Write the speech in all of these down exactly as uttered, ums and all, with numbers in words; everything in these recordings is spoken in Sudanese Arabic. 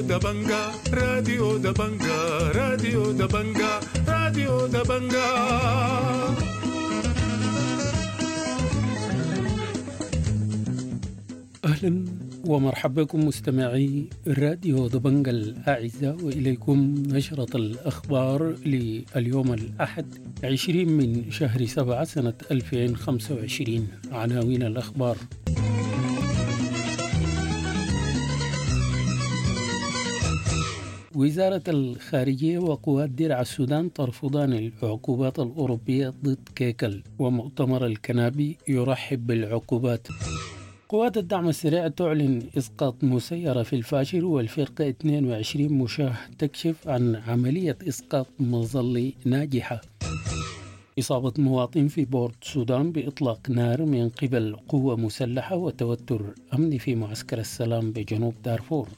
دبنجا، راديو دبنجا، راديو دبنجا، راديو دبنجا. أهلا ومرحبا بكم مستمعي راديو دبنجا الأعزاء، وإليكم نشرة الأخبار لليوم الأحد عشرين من شهر سبعة سنة ألفين وخمسة وعشرين. عناوين الأخبار: وزارة الخارجية وقوات درع السودان ترفضان العقوبات الأوروبية ضد كيكل، ومؤتمر الكنابي يرحب بالعقوبات. قوات الدعم السريع تعلن إسقاط مسيرة في الفاشر، والفرقة اثنين وعشرين مشاه تكشف عن عملية إسقاط مظلي ناجحة. إصابة مواطن في بورت السودان بإطلاق نار من قبل قوة مسلحة، وتوتر أمني في معسكر السلام بجنوب دارفور.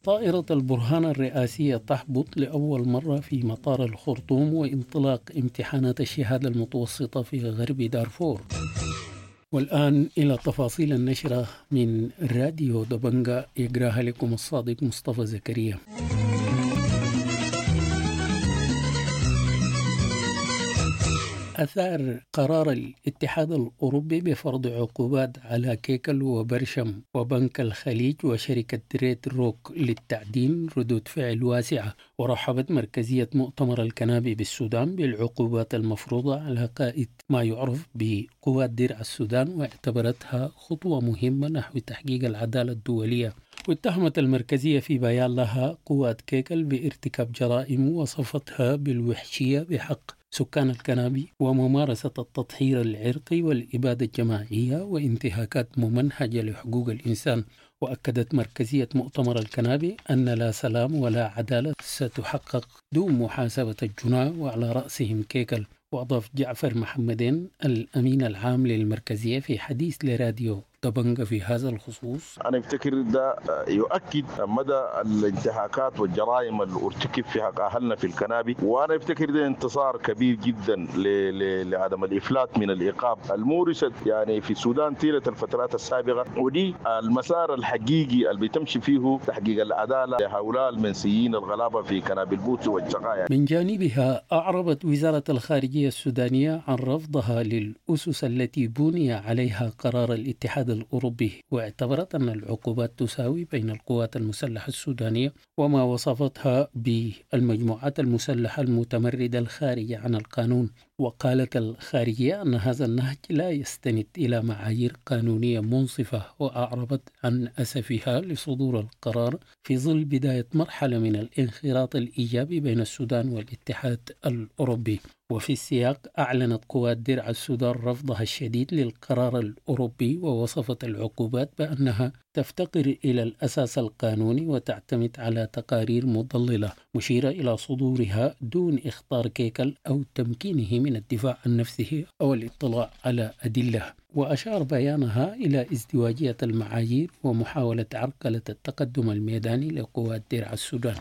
طائرة البرهان الرئاسية تهبط لأول مرة في مطار الخرطوم، وانطلاق امتحانات الشهادة المتوسطة في غرب دارفور. والآن إلى تفاصيل النشرة من راديو دبنجا، يقراها لكم الصادق مصطفى زكريا. أثار قرار الاتحاد الأوروبي بفرض عقوبات على كيكل وبرشم وبنك الخليج وشركة ريد روك للتعدين ردود فعل واسعة. ورحبت مركزية مؤتمر الكنابي بالسودان بالعقوبات المفروضة على قائد ما يعرف بقوات درع السودان، واعتبرتها خطوة مهمة نحو تحقيق العدالة الدولية. واتهمت المركزية في بيان لها قوات كيكل بارتكاب جرائم وصفتها بالوحشية بحق سكان الكنابي، وممارسة التطهير العرقي والإبادة الجماعية وانتهاكات ممنهجة لحقوق الإنسان. وأكدت مركزية مؤتمر الكنابي أن لا سلام ولا عدالة ستحقق دون محاسبة الجناة وعلى رأسهم كيكل. وأضاف جعفر محمدين الأمين العام للمركزية في حديث لراديو دبنجا في هذا الخصوص: أنا أفتكر ده يؤكد مدى الانتهاكات والجرائم اللي ارتكب في حق أهلنا في الكنابي، وأنا أفتكر ده انتصار كبير جدا لعدم الإفلات من الإيقاف المورست يعني في السودان طيلة الفترات السابقة، ودي المسار الحقيقي اللي بتمشي فيه تحقيق العدالة لهؤلاء المنسيين الغلابة في كنابي البوت والشقايا. من جانبها أعربت وزارة الخارجية السودانية عن رفضها للأسس التي بني عليها قرار الاتحاد الأوروبي، واعتبرت أن العقوبات تساوي بين القوات المسلحة السودانية وما وصفتها بالمجموعات المسلحة المتمردة الخارجة عن القانون. وقالت الخارجية أن هذا النهج لا يستند إلى معايير قانونية منصفة، وأعربت عن أسفها لصدور القرار في ظل بداية مرحلة من الانخراط الإيجابي بين السودان والاتحاد الأوروبي. وفي السياق أعلنت قوات درع السودان رفضها الشديد للقرار الأوروبي، ووصفت العقوبات بأنها تفتقر إلى الأساس القانوني وتعتمد على تقارير مضللة، مشيرة إلى صدورها دون إخطار كيكل أو تمكينه من الدفاع عن نفسه أو الاطلاع على أدلة. وأشار بيانها إلى ازدواجية المعايير ومحاولة عرقلة التقدم الميداني لقوات درع السودان.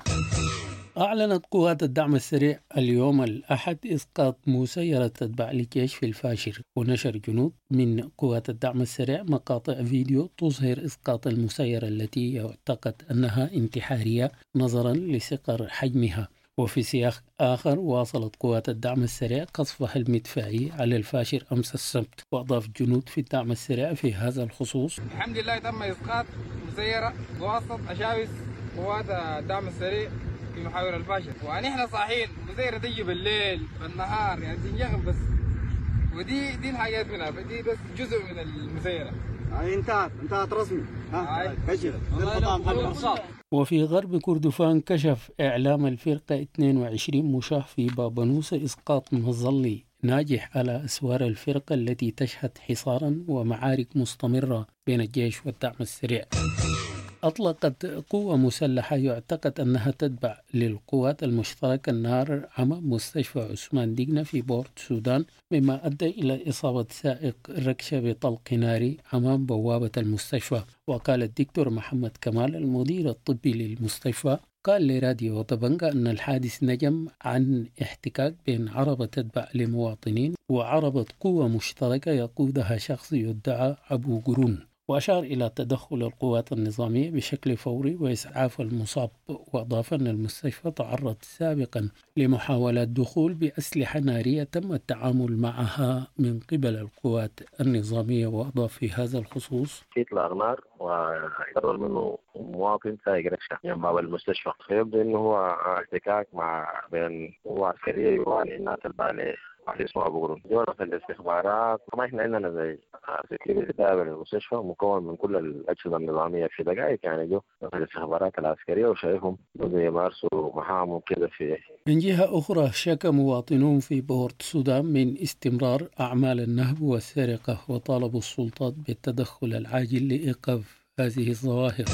أعلنت قوات الدعم السريع اليوم الأحد إسقاط مسيرة تتبع للجيش في الفاشر، ونشر جنود من قوات الدعم السريع مقاطع فيديو تظهر إسقاط المسيرة التي يعتقد أنها انتحارية نظرا لصغر حجمها. وفي سياق آخر واصلت قوات الدعم السريع قصفها المدفعي على الفاشر أمس السبت. وأضاف جنود في الدعم السريع في هذا الخصوص: الحمد لله تم إسقاط مسيرة بواسطة أشاوس قوات الدعم السريع في محاور الفاشر، ونحن صاحيين مسيرة تيجي بالليل بالنهار يعني تنجغم بس، ودي دي الحاجات منها، دي بس جزء من المسيرة. انتهت انتهت رسمي. ها كشف. وفي غرب كردفان كشف إعلام الفرقة اثنين وعشرين مشاه في بابنوس إسقاط مظلي ناجح على أسوار الفرقة التي تشهد حصارا ومعارك مستمرة بين الجيش والدعم السريع. أطلقت قوة مسلحة يعتقد أنها تتبع للقوات المشتركة النار أمام مستشفى عثمان دقنة في بورت السودان، مما أدى إلى إصابة سائق ركشة بطلق ناري أمام بوابة المستشفى. وقال الدكتور محمد كمال المدير الطبي للمستشفى قال لراديو دبنجا أن الحادث نجم عن احتكاك بين عربة تتبع لمواطنين وعربة قوة مشتركة يقودها شخص يدعى أبو قرون. وأشار إلى تدخل القوات النظامية بشكل فوري وإسعاف المصاب، وأضاف أن المستشفى تعرض سابقا لمحاولات دخول بأسلحة نارية تم التعامل معها من قبل القوات النظامية. وأضاف في هذا الخصوص: في إطلاق نار ويضرب منه مواطن سايق ركشة جنب باب المستشفى، فيبدو انه هو احتكاك مع بين قوة عسكرية والناس الباليه واحد اسمه ابو قرون. دورة الاستخبارات طبعا احنا عندنا زي security تابع للمستشفى مكون من كل الاجهزه النظاميه، في دقائق يعني جو الاستخبارات العسكريه وشايفهم يمارسوا مهامهم كده. في من جهه اخرى، شكى مواطنون في بورت السودان من استمرار اعمال النهب والسرقه، وطالبوا السلطات بالتدخل العاجل لايقاف هذه الظواهر.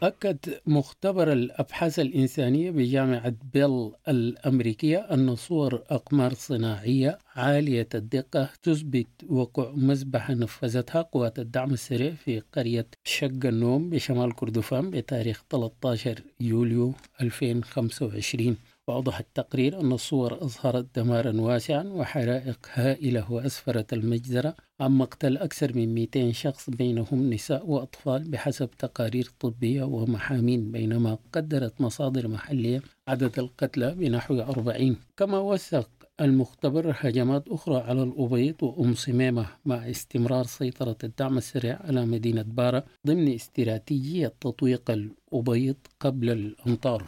أكد مختبر الأبحاث الإنسانية بجامعة بيل الأمريكية أن صور أقمار صناعية عالية الدقة تثبت وقوع مذبحة نفذتها قوات الدعم السريع في قرية شق النوم بشمال كردفان بتاريخ ثلاثة عشر يوليو ألفين وخمسة وعشرين. وأوضح التقرير أن الصور أظهرت دمارا واسعا وحرائق هائلة، وأسفرت المجزرة عن مقتل أكثر من مئتين شخص بينهم نساء وأطفال بحسب تقارير طبية ومحامين، بينما قدرت مصادر محلية عدد القتلى بنحو أربعين. كما وثق المختبر هجمات أخرى على الأبيض وأم صميمة مع استمرار سيطرة الدعم السريع على مدينة بارا ضمن استراتيجية تطويق الأبيض قبل الأمطار.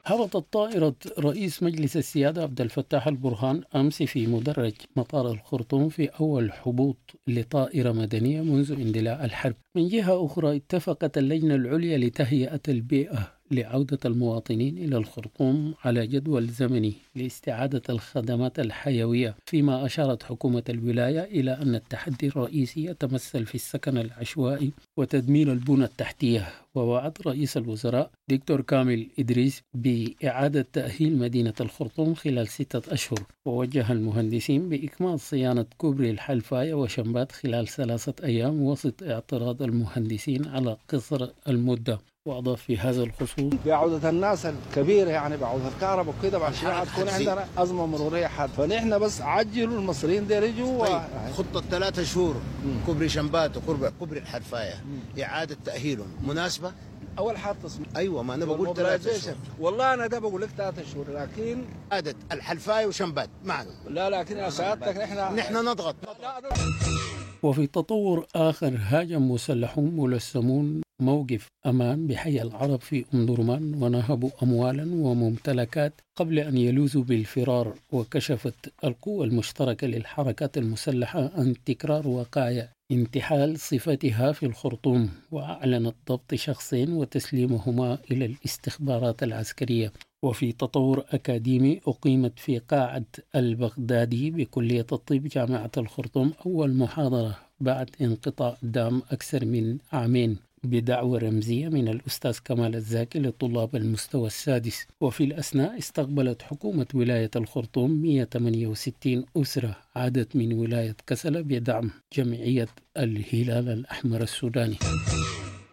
هبطت طائرة رئيس مجلس السيادة عبد الفتاح البرهان أمس في مدرج مطار الخرطوم في أول هبوط لطائرة مدنية منذ اندلاع الحرب. من جهة أخرى، اتفقت اللجنة العليا لتهيئة البيئة لعودة المواطنين إلى الخرطوم على جدول زمني لاستعادة الخدمات الحيوية، فيما أشارت حكومة الولاية إلى أن التحدي الرئيسي يتمثل في السكن العشوائي وتدمير البنى التحتية. ووعد رئيس الوزراء دكتور كامل إدريس بإعادة تأهيل مدينة الخرطوم خلال ستة أشهر، ووجه المهندسين بإكمال صيانة كوبري الحلفاية وشمبات خلال ثلاثة أيام وسط اعتراض المهندسين على قصر المدة. وأضاف في هذا الخصوص: بعودة الناس الكبيرة يعني بعودة الكهرباء وكده بعد شوية حتكون عندنا أزمة مرورية حاد، فنحن بس عجلوا المصريين ديل يجوا. طيب خطة ثلاثة شهور كوبري شمبات وكوبري كوبري الحلفاية إعادة تأهيلهم مناسبة؟ أول حاجة تصميم. أيوة ما أنا بقول ثلاثة شهور. والله أنا ده بقول لك ثلاثة شهور، لكن إعادة الحلفاية وشمبات معنا. لا لكن يا سعادتك نحن نحن نضغط. وفي تطور آخر، هاجم مسلحون ملثمون موقف أمان بحي العرب في أم درمان ونهبوا أموالا وممتلكات قبل أن يلوذوا بالفرار. وكشفت القوة المشتركة للحركات المسلحة عن تكرار وقائع انتحال صفتها في الخرطوم، وأعلنت ضبط شخصين وتسليمهما إلى الاستخبارات العسكرية. وفي تطور أكاديمي، أقيمت في قاعة البغدادي بكلية الطب جامعة الخرطوم أول محاضرة بعد انقطاع دام أكثر من عامين بدعوة رمزية من الأستاذ كمال الزاكي لطلاب المستوى السادس. وفي الأثناء استقبلت حكومة ولاية الخرطوم مئة وثمانية وستين أسرة عادت من ولاية كسلة بدعم جمعية الهلال الأحمر السوداني.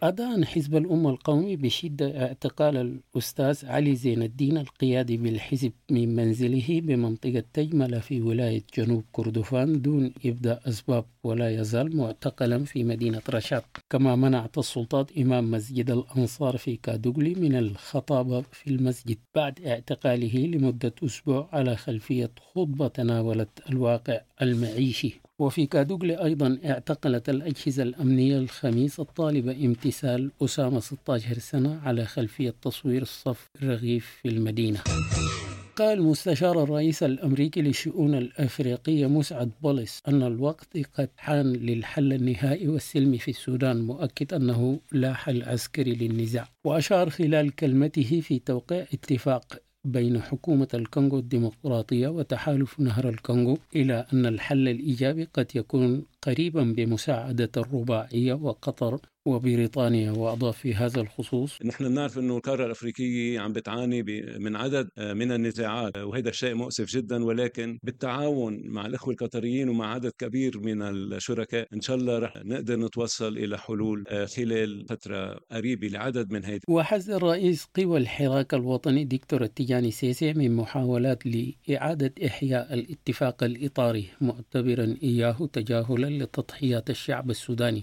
أدان حزب الأمة القومي بشدة اعتقال الأستاذ علي زين الدين القيادي بالحزب من منزله بمنطقة تجملة في ولاية جنوب كردفان دون إبداء أسباب، ولا يزال معتقلا في مدينة رشاد. كما منعت السلطات إمام مسجد الأنصار في كادوغلي من الخطابة في المسجد بعد اعتقاله لمدة أسبوع على خلفية خطبة تناولت الواقع المعيشي. وفي كادوغلي أيضا اعتقلت الأجهزة الأمنية الخميس الطالبة امتثال أسامة ستة عشر سنة على خلفية تصوير صف رغيف في المدينة. قال مستشار الرئيس الأمريكي للشؤون الأفريقية مسعد بولس أن الوقت قد حان للحل النهائي والسلمي في السودان، مؤكد أنه لا حل عسكري للنزاع. وأشار خلال كلمته في توقيع اتفاق بين حكومة الكونغو الديمقراطية وتحالف نهر الكونغو إلى أن الحل الإيجابي قد يكون قريبا بمساعدة الرباعية وقطر وبريطانيا. وأضاف في هذا الخصوص: نحن بنعرف أنه القارة الأفريقية عم بتعاني من عدد من النزاعات، وهذا الشيء مؤسف جدا، ولكن بالتعاون مع الأخوة القطريين ومع عدد كبير من الشركاء إن شاء الله رح نقدر نتوصل إلى حلول خلال فترة قريبة لعدد من هذه. وحذر رئيس قوى الحراك الوطني دكتور التجاني سيسي من محاولات لإعادة إحياء الاتفاق الإطاري، معتبرا إياه تجاهلا لتضحيات الشعب السوداني.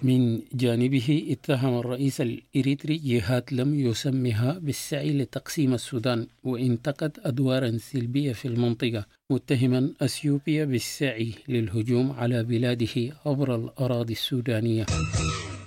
من جانبه اتهم الرئيس الإريتري جهات لم يسمها بالسعي لتقسيم السودان، وانتقد أدوارا سلبية في المنطقة، متهما أثيوبيا بالسعي للهجوم على بلاده عبر الأراضي السودانية.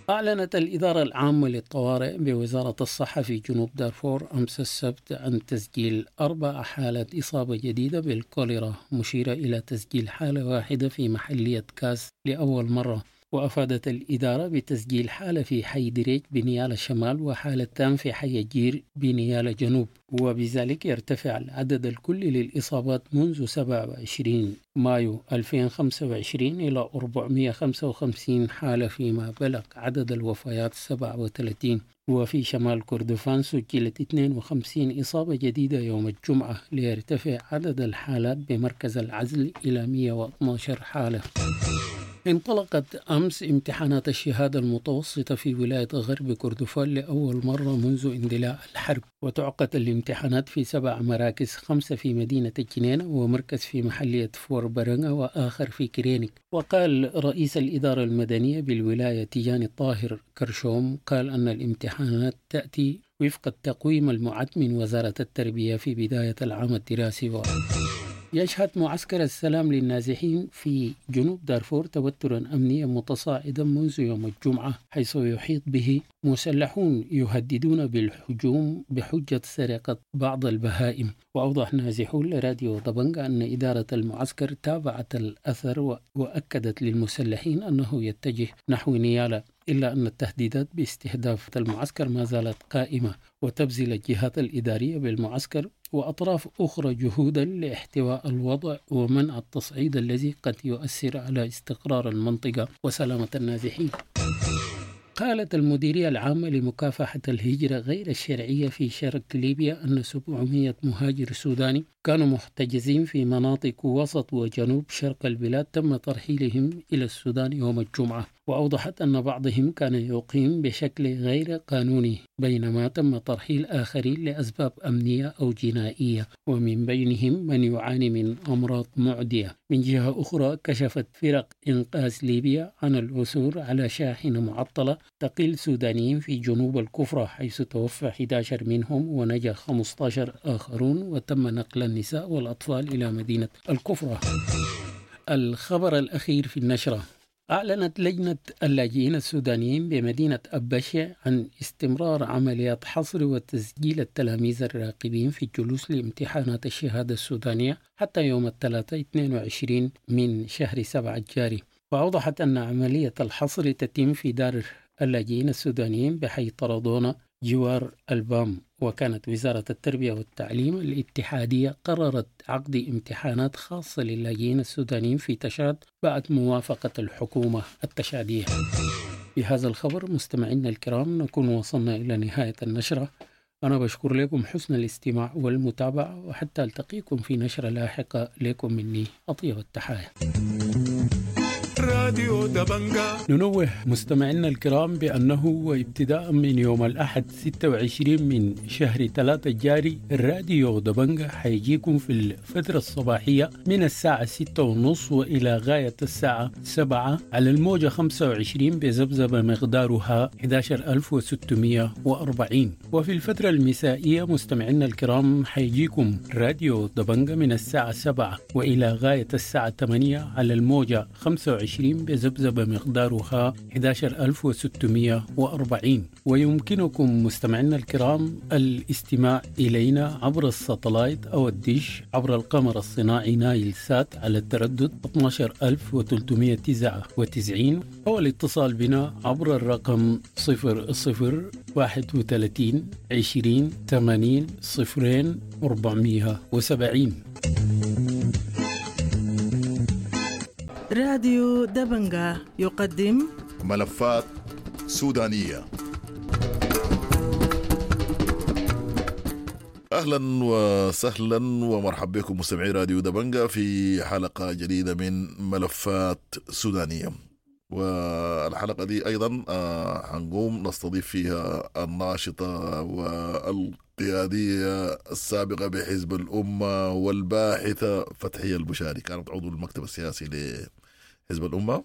أعلنت الإدارة العامة للطوارئ بوزارة الصحة في جنوب دارفور أمس السبت عن تسجيل أربع حالات إصابة جديدة بالكوليرا، مشيرة إلى تسجيل حالة واحدة في محلية كاس لأول مرة. وأفادت الإدارة بتسجيل حالة في حي دريج بنيالة شمال، وحالتان في حي الجير بنيالة جنوب، وبذلك يرتفع العدد الكلي للإصابات منذ سبعة وعشرين مايو ألفين وخمسة وعشرين إلى أربعمئة وخمسة وخمسين حالة، فيما بلغ عدد الوفيات سبعة وثلاثين. وفي شمال كردفان سجلت اثنين وخمسين إصابة جديدة يوم الجمعة، ليرتفع عدد الحالات بمركز العزل إلى مئة واثني عشر حالة. انطلقت أمس امتحانات الشهادة المتوسطة في ولاية غرب كردفان لأول مرة منذ اندلاع الحرب، وتعقد الامتحانات في سبع مراكز، خمسة في مدينة الجنينة ومركز في محلية فوربرنغا وآخر في كرينك. وقال رئيس الإدارة المدنية بالولاية تيجاني الطاهر كرشوم قال أن الامتحانات تأتي وفق التقويم المعد من وزارة التربية في بداية العام الدراسي. و يشهد معسكر السلام للنازحين في جنوب دارفور توترا أمنيا متصاعدا منذ يوم الجمعة، حيث يحيط به مسلحون يهددون بالهجوم بحجة سرقة بعض البهائم. وأوضح نازحون لراديو دبنجا أن إدارة المعسكر تابعت الأثر وأكدت للمسلحين أنه يتجه نحو نيالا، إلا أن التهديدات باستهداف المعسكر ما زالت قائمة، وتبذل الجهات الإدارية بالمعسكر وأطراف أخرى جهودا لاحتواء الوضع ومنع التصعيد الذي قد يؤثر على استقرار المنطقة وسلامة النازحين. قالت المديرية العامة لمكافحة الهجرة غير الشرعية في شرق ليبيا أن سبعمئة مهاجر سوداني كانوا محتجزين في مناطق وسط وجنوب شرق البلاد تم ترحيلهم إلى السودان يوم الجمعة. وأوضحت أن بعضهم كان يقيم بشكل غير قانوني، بينما تم ترحيل آخرين لأسباب أمنية أو جنائية، ومن بينهم من يعاني من أمراض معدية. من جهة أخرى كشفت فرق إنقاذ ليبيا عن العثور على شاحنة معطلة تقل سودانيين في جنوب الكفرة، حيث توفى أحد عشر منهم ونجا خمسة عشر آخرون، وتم نقل النساء والأطفال إلى مدينة الكفرة. الخبر الأخير في النشرة: أعلنت لجنة اللاجئين السودانيين بمدينة أبشع عن استمرار عمليات حصر وتسجيل التلاميذ الراقبين في الجلوس لامتحانات الشهادة السودانية حتى يوم الثلاثاء اثنين وعشرين من شهر سبعة الجاري. وأوضحت أن عملية الحصر تتم في دار اللاجئين السودانيين بحي طردونة جوار البام. وكانت وزارة التربية والتعليم الاتحادية قررت عقد امتحانات خاصة للاجئين السودانيين في تشاد بعد موافقة الحكومة التشادية. بهذا الخبر مستمعينا الكرام نكون وصلنا إلى نهاية النشرة. أنا بشكر لكم حسن الاستماع والمتابعة، وحتى ألتقيكم في نشرة لاحقة. لكم مني أطيب التحايا. راديو دبنجا. ننوه مستمعينا الكرام بأنه وابتداء من يوم الأحد ستة وعشرين من شهر ثلاثة الجاري الراديو دبنجا حيجيكم في الفترة الصباحية من الساعة ستة ونص وإلى غاية الساعة سبعة على الموجة خمسة وعشرين بذبذبة مقدارها أحد عشر ألف وستمئة وأربعين. وفي الفترة المسائية مستمعينا الكرام حيجيكم راديو دبنجا من الساعة سبعة وإلى غاية الساعة ثمانية على الموجة خمسة وعشرين بذبذبة مقدارها أحد عشر ألف وستمئة وأربعين. ويمكنكم مستمعينا الكرام الاستماع إلينا عبر الساتلايت أو الديش عبر القمر الصناعي نايل سات على التردد اثني عشر ألف وثلاثمئة وتسعة وتسعين، أو الاتصال بنا عبر الرقم صفر صفر واحد وثلاثين عشرين ثمانين صفرين أربعمئة وسبعين. راديو دبنجا يقدم ملفات سودانية. أهلا وسهلا ومرحبا بكم مستمعي راديو دبنجا في حلقة جديدة من ملفات سودانية. والحلقة دي أيضا حنقوم نستضيف فيها الناشطة والقيادية السابقة بحزب الأمة والباحثة فتحية البشاري، كانت عضو المكتب السياسي حزب الأمة،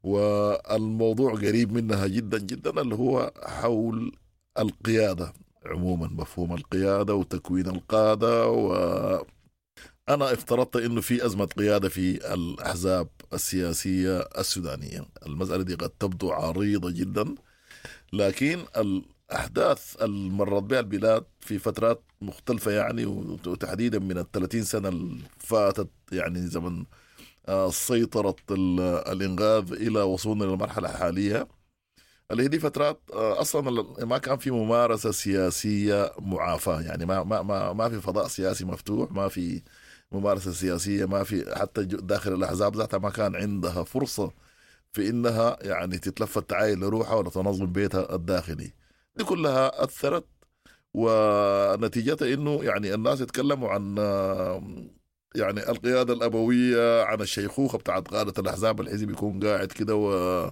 والموضوع قريب منها جدا جدا اللي هو حول القيادة عموما، مفهوم القيادة وتكوين القادة. و أنا افترضت إنه في أزمة قيادة في الأحزاب السياسية السودانية. المسألة دي قد تبدو عريضة جدا، لكن الأحداث اللي مرت بها البلاد في فترات مختلفة يعني، وتحديدا من الثلاثين سنة اللي فاتت، يعني زمن سيطرة الإنقاذ إلى وصولنا للمرحلة الحالية اللي هي دي فترات اصلا ما كان في ممارسة سياسية معافاه، يعني ما ما ما ما في فضاء سياسي مفتوح، ما في ممارسة سياسية، ما في حتى داخل الاحزاب ذاتها ما كان عندها فرصة في انها يعني تتلفت تعاين لروحها ولا تنظم بيتها الداخلي. دي كلها اثرت، ونتيجتها انه يعني الناس يتكلموا عن يعني القيادة الابوية، عن الشيخوخة بتاعت قاده الاحزاب، الحزب يكون قاعد كده و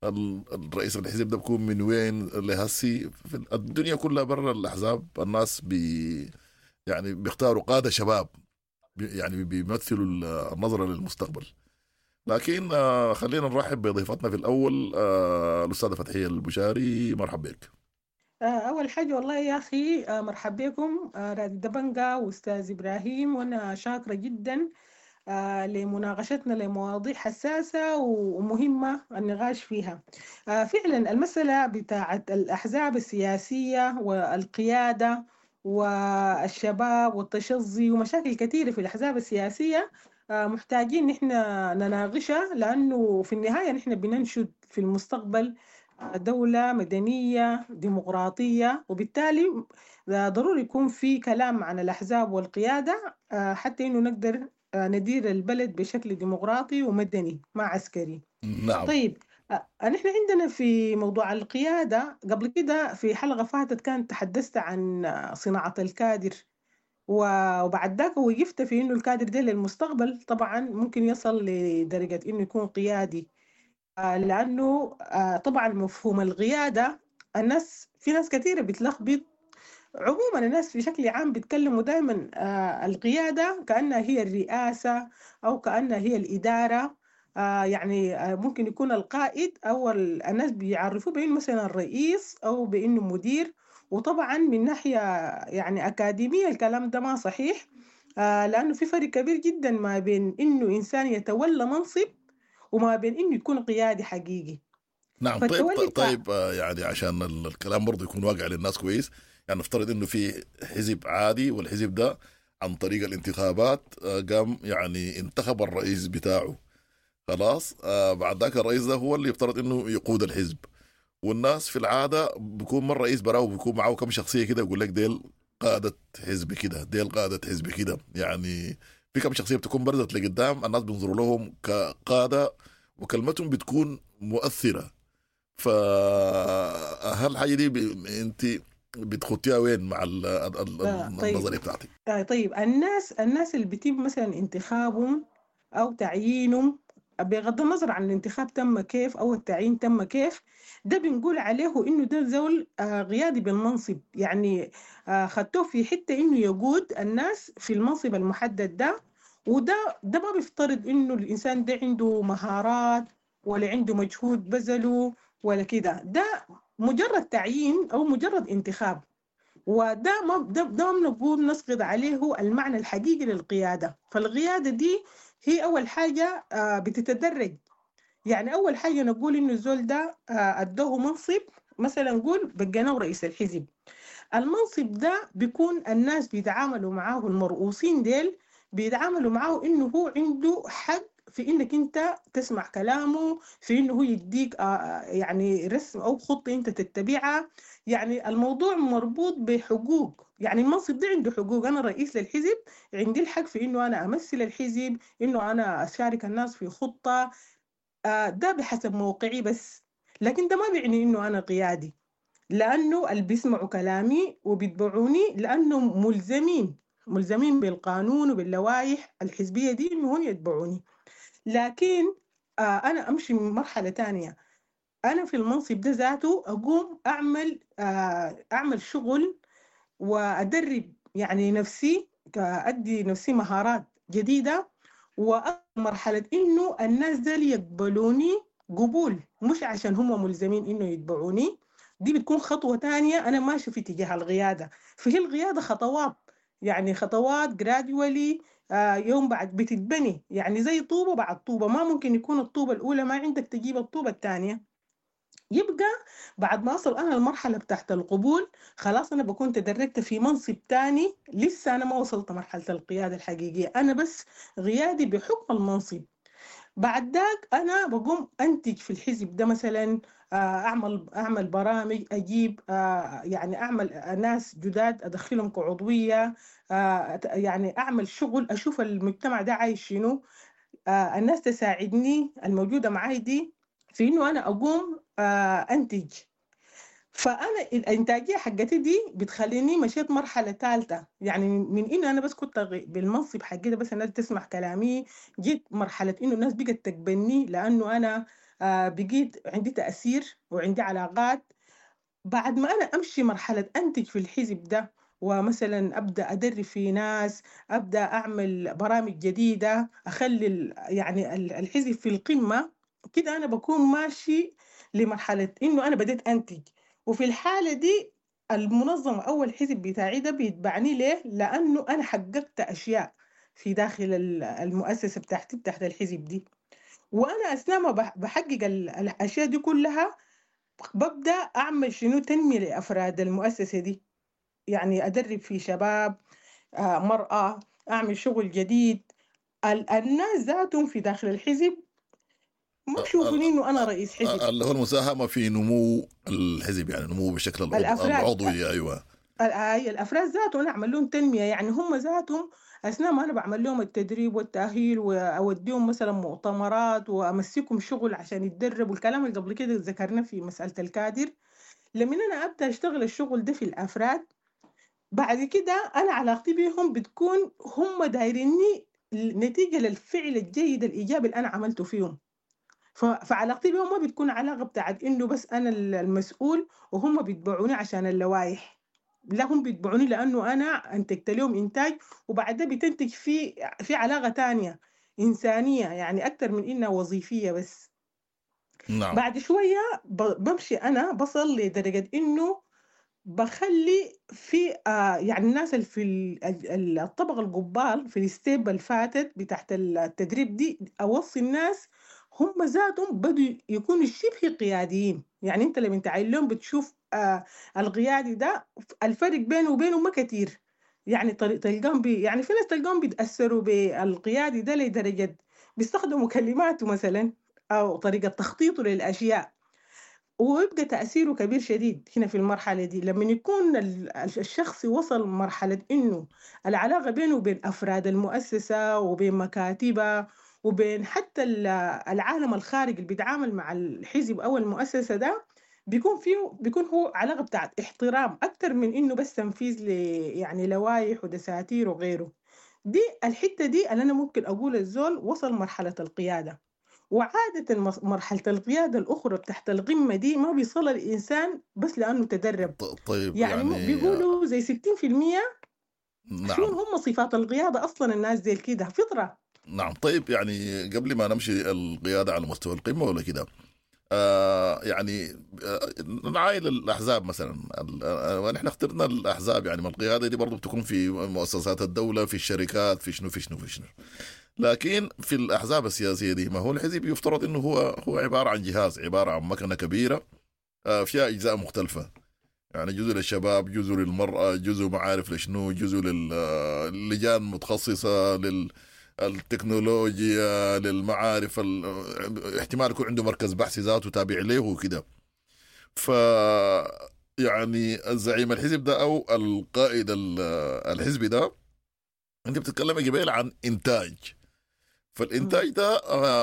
الرئيس الحزب ده بيكون من وين لهسي في الدنيا كلها برا الأحزاب الناس بي يعني بيختاروا قادة شباب يعني بيمثلوا النظرة للمستقبل. لكن خلينا نرحب بضيفتنا في الأول الأستاذة فتحية البشاري، مرحب بك. أول حاجة والله يا أخي مرحب بكم رادي دبنجا وأستاذ إبراهيم، وأنا شاكرة جدا لمناقشتنا لمواضيع حساسة ومهمة النقاش فيها. فعلا المسألة بتاعت الأحزاب السياسية والقيادة والشباب والتشظي ومشاكل كثيرة في الأحزاب السياسية محتاجين نحن نناقشها، لأنه في النهاية نحن بننشد في المستقبل دولة مدنية ديمقراطية، وبالتالي ضروري يكون في كلام عن الأحزاب والقيادة حتى إنه نقدر ندير البلد بشكل ديمقراطي ومدني ما عسكري. نعم. طيب نحن عندنا في موضوع القيادة قبل كده في حلقة فاتت كانت تحدثت عن صناعة الكادر، وبعد ذاك وقفت في إنه الكادر ده للمستقبل طبعا ممكن يصل لدرجة إنه يكون قيادي، لأنه طبعا مفهوم القيادة الناس في ناس كثيرة بتلخبط. عموما الناس بشكل عام بيتكلموا دائما القيادة كأنها هي الرئاسة أو كأنها هي الإدارة، يعني ممكن يكون القائد أو الناس بيعرفوه بأنه مثلا الرئيس أو بأنه مدير. وطبعا من ناحية يعني أكاديمية الكلام ده ما صحيح، لأنه في فرق كبير جدا ما بين إنه إنسان يتولى منصب وما بين إنه يكون قيادي حقيقي. نعم. طيب طيب يعني عشان الكلام برضه يكون واقع للناس كويس، يعني نفترض انه في حزب عادي، والحزب ده عن طريق الانتخابات قام يعني انتخب الرئيس بتاعه، خلاص بعد ذاك الرئيس ده هو اللي يفترض انه يقود الحزب، والناس في العادة بيكون من الرئيس براو بيكون معه كم شخصية كده يقول لك ديل قاده حزب كده، ديل قاده حزب كده، يعني في كم شخصية بتكون برزت لقدام الناس بينظروا لهم كقاده وكلمتهم بتكون مؤثرة. فهل الحاجة دي ب... انت بتخطيها وين مع ال ال آه طيب. النظرية بتاعتك؟ آه طيب الناس الناس اللي بيتم مثلا انتخابهم او تعيينهم بغض النظر عن الانتخاب تم كيف او التعيين تم كيف، ده بنقول عليه انه ده زول آه قيادي بالمنصب، يعني آه خدتوه في حتة انه يقود الناس في المنصب المحدد ده، وده ده ما بيفترض انه الانسان ده عنده مهارات ولا عنده مجهود بذله ولا كده، ده مجرد تعيين او مجرد انتخاب، وده ما ده, ده ما بنقول نسقط عليه المعنى الحقيقي للقياده. فالقياده دي هي اول حاجة بتتدرج، يعني اول حاجة نقول انه الزول ده ادوه منصب، مثلا نقول بقيناه رئيس الحزب، المنصب ده بيكون الناس بيتعاملوا معاه، المرؤوسين ديل بيتعاملوا معاه انه هو عنده حق في انك انت تسمع كلامه، في انه هو يديك يعني رسم او خطه انت تتبعها، يعني الموضوع مربوط بحقوق، يعني المنصب ده عنده حقوق. انا رئيس للحزب عندي الحق في انه انا امثل الحزب، انه انا اشارك الناس في خطه، ده بحسب موقعي بس، لكن ده ما بيعني انه انا قيادي، لانه اللي بيسمعوا كلامي وبيتبعوني لانه ملزمين ملزمين بالقانون وباللوائح الحزبية دي انه هم يتبعوني. لكن آه أنا أمشي من مرحلة تانية، أنا في المنصب ده ذاته أقوم أعمل آه أعمل شغل وأدرب يعني نفسي، أدي نفسي مهارات جديدة، ومرحلة إنه الناس ديل يقبلوني قبول، مش عشان هم ملزمين إنه يتبعوني. دي بتكون خطوة تانية أنا ماشي في اتجاه القيادة. فهي القيادة خطوات، يعني خطوات gradually، آه يوم بعد بتتبني، يعني زي طوبة بعد طوبة. ما ممكن يكون الطوبة الأولى ما عندك تجيب الطوبة الثانية. يبقى بعد ما أصل أنا المرحلة بتاعت القبول، خلاص أنا بكون تدرجت في منصب تاني، لسه أنا ما وصلت مرحلة القيادة الحقيقية، أنا بس قيادي بحكم المنصب. بعد ذاك أنا بقوم أنتج في الحزب ده مثلا، أعمل أعمل برامج، أجيب يعني أعمل ناس جداد أدخلهم كعضوية، يعني أعمل شغل، أشوف المجتمع ده عايش شنو، الناس تساعدني الموجودة معاي دي في إنه أنا أقوم أنتج. فأنا الإنتاجية حقتي دي بتخليني مشيت مرحلة ثالثة، يعني من إنه أنا بس كنت بالمنصب حقي ده بس الناس تسمع كلامي، جيت مرحلة إنه الناس بقت تقبلني لأنه أنا بقيت عندي تأثير وعندي علاقات. بعد ما أنا أمشي مرحلة أنتج في الحزب ده، ومثلا أبدأ أدرب في ناس، أبدأ أعمل برامج جديدة، أخلي يعني الحزب في القمة كده، أنا بكون ماشي لمرحلة إنه أنا بديت أنتج. وفي الحالة دي المنظمة أو الحزب بتاعي ده بيتبعني ليه؟ لأنه أنا حققت أشياء في داخل المؤسسة بتاعتي بتاعت الحزب دي. وأنا أثناء ما بحقق الأشياء دي كلها ببدأ أعمل شنو؟ تنمية لأفراد المؤسسة دي، يعني أدرب في شباب، مرأة، أعمل شغل جديد. الناس ذاتهم في داخل الحزب ما بشوفوني انه انا رئيس حزب، اللي هو المساهمة في نمو الحزب، يعني نمو بشكل العضوي. ايوه، الافراد ذاتهم انا اعمل لهم تنمية، يعني هم ذاتهم اثناء ما انا بعمل لهم التدريب والتاهيل واوديهم مثلا مؤتمرات وامسكهم شغل عشان يتدربوا، الكلام اللي قبل كده ذكرناه في مسالة الكادر. لما انا ابدا اشتغل الشغل ده في الافراد، بعد كده انا علاقتي بيهم بتكون هم دايريني نتيجة للفعل الجيد الايجابي اللي انا عملته فيهم. فعلاقتي بهم ما بتكون علاقة بتاعت إنه بس أنا المسؤول وهم بيتبعوني عشان اللوائح، لا، هم بيتبعوني لأنه أنا أنتجت لهم إنتاج، وبعدها بتنتج في في علاقة تانية إنسانية، يعني أكتر من إنها وظيفية بس. نعم. بعد شوية بمشي أنا بصل لدرجة إنه بخلي في آه يعني الناس اللي في الطبقة القبال في الستيب اللي فاتت بتاعت التدريب دي، أوصي الناس هم ذاتهم بدوا يكونوا شبه قياديين. يعني انت لما تعين لهم بتشوف آه القيادي ده الفرق بينه وبينه ما كتير، يعني تلقاهم بي يعني في ناس تلقاهم بيتأثروا بالقيادي ده لدرجة بيستخدموا كلماته مثلا أو طريقة تخطيطه للأشياء، ويبقى تأثيره كبير شديد هنا في المرحلة دي. لما يكون الشخص وصل مرحلة إنه العلاقة بينه وبين أفراد المؤسسة وبين مكاتبها وبين حتى العالم الخارجي اللي بيتعامل مع الحزب أو المؤسسة ده، بيكون فيه بيكون هو علاقة بتاعت احترام أكتر من إنه بس تنفيذ ل يعني لوائح ودساتير وغيره. دي الحتة دي اللي أنا ممكن أقول الزول وصل مرحلة القيادة. وعادة مرحلة القيادة الأخرى تحت القمة دي ما بيصل الإنسان بس لأنه تدرب. طيب يعني, يعني بيقولوا زي ستين في المية. نعم. شو هم صفات القيادة أصلا؟ الناس زي كده فطرة. نعم. طيب يعني قبل ما نمشي القيادة على مستوى القمة ولا كده، آه يعني آه نعاين الأحزاب مثلا، ونحن اخترنا الأحزاب، يعني ما القيادة دي برضو بتكون في مؤسسات الدولة، في الشركات، في شنو في شنو في شنو، لكن في الأحزاب السياسية دي ما هو الحزب يفترض إنه هو هو عبارة عن جهاز، عبارة عن مكنة كبيرة آه فيها أجزاء مختلفة، يعني جزء للشباب، جزء للمرأة، جزء معارف لشنو، جزء للجان متخصصة لل التكنولوجيا، للمعارف، احتمال يكون عنده مركز بحث ذاته تابع له وكده. ف يعني الزعيم الحزب ده او القائد الحزبي ده، انت بتتكلم قبيل عن انتاج، فالانتاج ده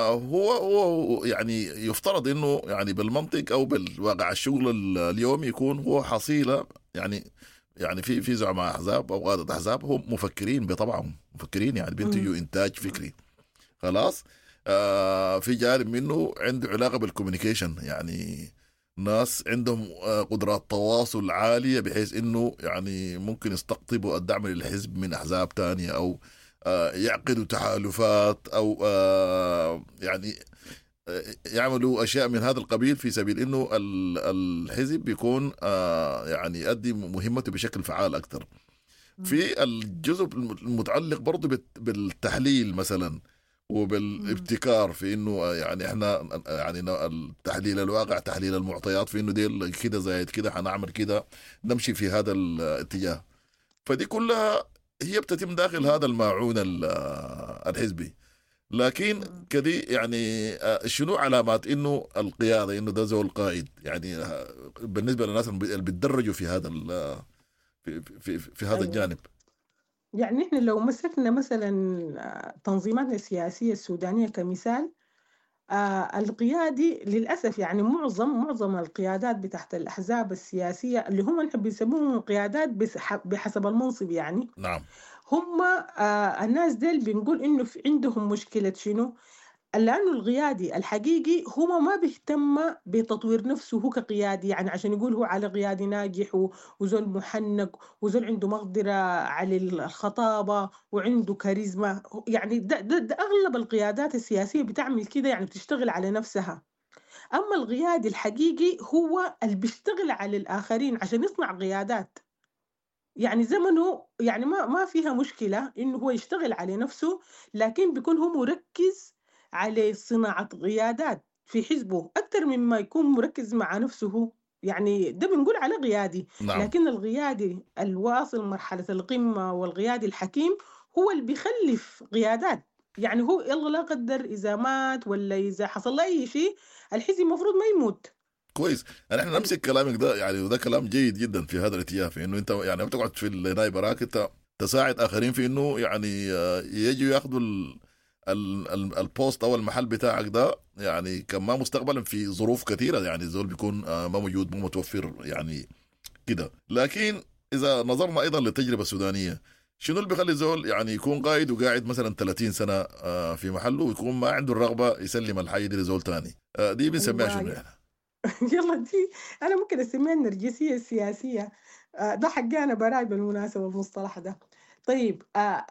هو هو يعني يفترض انه يعني بالمنطق او بالواقع الشغل اليومي يكون هو حصيله، يعني يعني في في زعماء احزاب او قاده احزاب هم مفكرين بطبعهم، مفكرين يعني بينتجوا انتاج فكري خلاص. آه في جانب منه عنده علاقة بال communication، يعني ناس عندهم قدرات تواصل عالية بحيث انه يعني ممكن يستقطبوا الدعم للحزب من احزاب تانية او يعقدوا تحالفات او يعني يعملوا اشياء من هذا القبيل في سبيل انه الحزب بيكون يعني يؤدي مهمته بشكل فعال اكثر. في الجزء المتعلق برضه بالتحليل مثلا وبالابتكار في انه يعني احنا يعني التحليل الواقع، تحليل المعطيات في انه ديل كده زايد كده حنعمل كده، نمشي في هذا الاتجاه. فدي كلها هي بتتم داخل هذا الماعون الحزبي. لكن كدي يعني شنو علامات انه القيادة، انه ده زول قائد يعني بالنسبة للناس اللي بيتدرجوا في هذا في في في هذا الجانب؟ يعني احنا لو مسكنا مثلا تنظيماتنا السياسية السودانية كمثال، آه القيادي للأسف يعني معظم معظم القيادات بتاعت الأحزاب السياسية اللي هم نحب يسموهم قيادات بحسب المنصب يعني، نعم، هم آه الناس ديل بنقول إنه في عندهم مشكلة شنو؟ لأنه القيادي الحقيقي هو ما بيهتم بتطوير نفسه هو كقيادي، يعني عشان يقول هو على قيادي ناجح وزول محنك وزول عنده مقدرة على الخطابة وعنده كاريزما، يعني ده, ده, ده أغلب القيادات السياسية بتعمل كده، يعني بتشتغل على نفسها. أما القيادي الحقيقي هو اللي بيشتغل على الآخرين عشان يصنع قيادات، يعني زمنه يعني ما ما فيها مشكلة إنه هو يشتغل على نفسه، لكن بيكون هو مركز على صناعة قيادات في حزبه أكثر مما يكون مركز مع نفسه، يعني ده بنقول على قيادي. نعم. لكن القيادي الواصل مرحلة القمة والقيادي الحكيم هو اللي بيخلف قيادات، يعني هو يلا لا قدر إذا مات ولا إذا حصل له أي شيء الحزب المفروض ما يموت. كويس، يعني احنا نمسك كلامك ده، يعني وده كلام جيد جدا في هذا الاتجاه، في انه انت يعني بتقعد في الناي براك، انت تساعد اخرين في انه يعني يجوا ياخذوا ال ال البوست او المحل بتاعك ده، يعني كما مستقبلا في ظروف كثيرة يعني الزول بيكون ما موجود، مو متوفر يعني كده. لكن اذا نظرنا ايضا للتجربه السودانية، شنو اللي بيخلي الزول يعني يكون قائد وقاعد مثلا ثلاثين سنة في محله ويكون ما عنده الرغبة يسلم الحي دي لزول ثاني؟ دي بنسميها شنو يعني؟ يلا دي انا ممكن اسميها النرجسية السياسية، ده حقي انا براي بالمناسبة المصطلح ده. طيب آه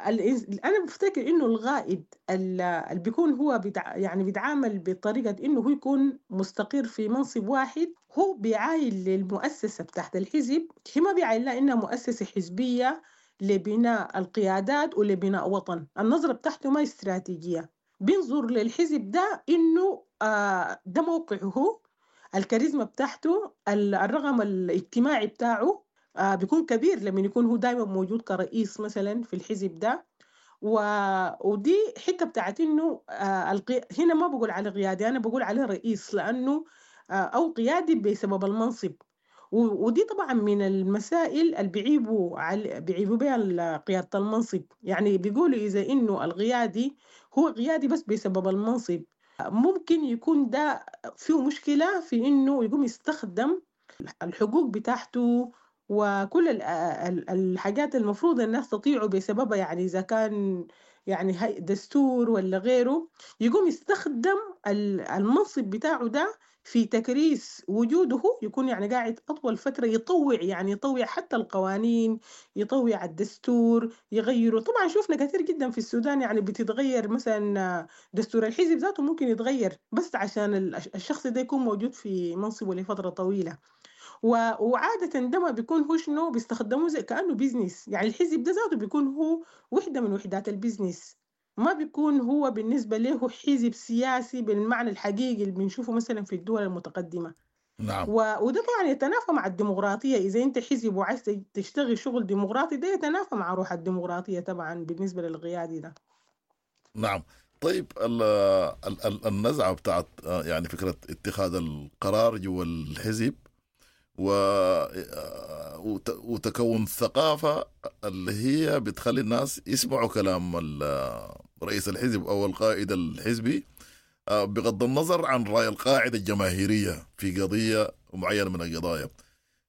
انا بفتكر انه الغائد اللي بيكون هو بتع... يعني بيتعامل بطريقة انه هو يكون مستقر في منصب واحد، هو بيعاين للمؤسسه بتاعت الحزب، هي ما بيعاين لها انها مؤسسة حزبية لبناء القيادات ولبناء وطن، النظرة بتاعته ما استراتيجية، بينظر للحزب ده انه آه ده موقعه هو، الكاريزما بتاعته، الرقم الاجتماعي بتاعه آه بيكون كبير لما يكون هو دايما موجود كرئيس مثلا في الحزب ده. و... ودي حتة بتاعت انه آه القي... هنا ما بقول على قيادي، انا بقول عليه رئيس، لانه آه او قيادي بسبب المنصب. و... ودي طبعا من المسائل اللي بيعيبوا على... بيعيبوا بها قيادة المنصب، يعني بيقولوا اذا انه القيادي هو قيادي بس بسبب المنصب، ممكن يكون ده فيه مشكلة في انه يقوم يستخدم الحقوق بتاعته وكل الحاجات المفروض الناس تطيعه بسببها، يعني إذا كان يعني دستور ولا غيره، يقوم يستخدم المنصب بتاعه ده في تكريس وجوده، يكون يعني قاعد أطول فترة يطوع، يعني يطوع حتى القوانين، يطوع الدستور، يغيره. طبعا شوفنا كثير جدا في السودان يعني بتتغير مثلا دستور الحزب ذاته ممكن يتغير بس عشان الشخص ده يكون موجود في منصبه لفترة طويلة. وعادة ده ما بيكون هو شنو بيستخدموه زي كأنه business، يعني الحزب ده ذاته بيكون هو وحدة من وحدات ال business، ما بيكون هو بالنسبة له حزب سياسي بالمعنى الحقيقي اللي بنشوفه مثلا في الدول المتقدمة. نعم. و... وده طبعا يتنافى مع الديمقراطية، إذا أنت حزب وعايز تشتغل شغل ديمقراطي ده يتنافى مع روح الديمقراطية طبعا بالنسبة للقيادي ده. نعم. طيب ال ال النزعة بتاعت يعني فكرة اتخاذ القرار جوا الحزب و... وتكون ثقافة اللي هي بتخلي الناس يسمعوا كلام رئيس الحزب أو القائد الحزبي بغض النظر عن رأي القاعدة الجماهيرية في قضية معينة من القضايا.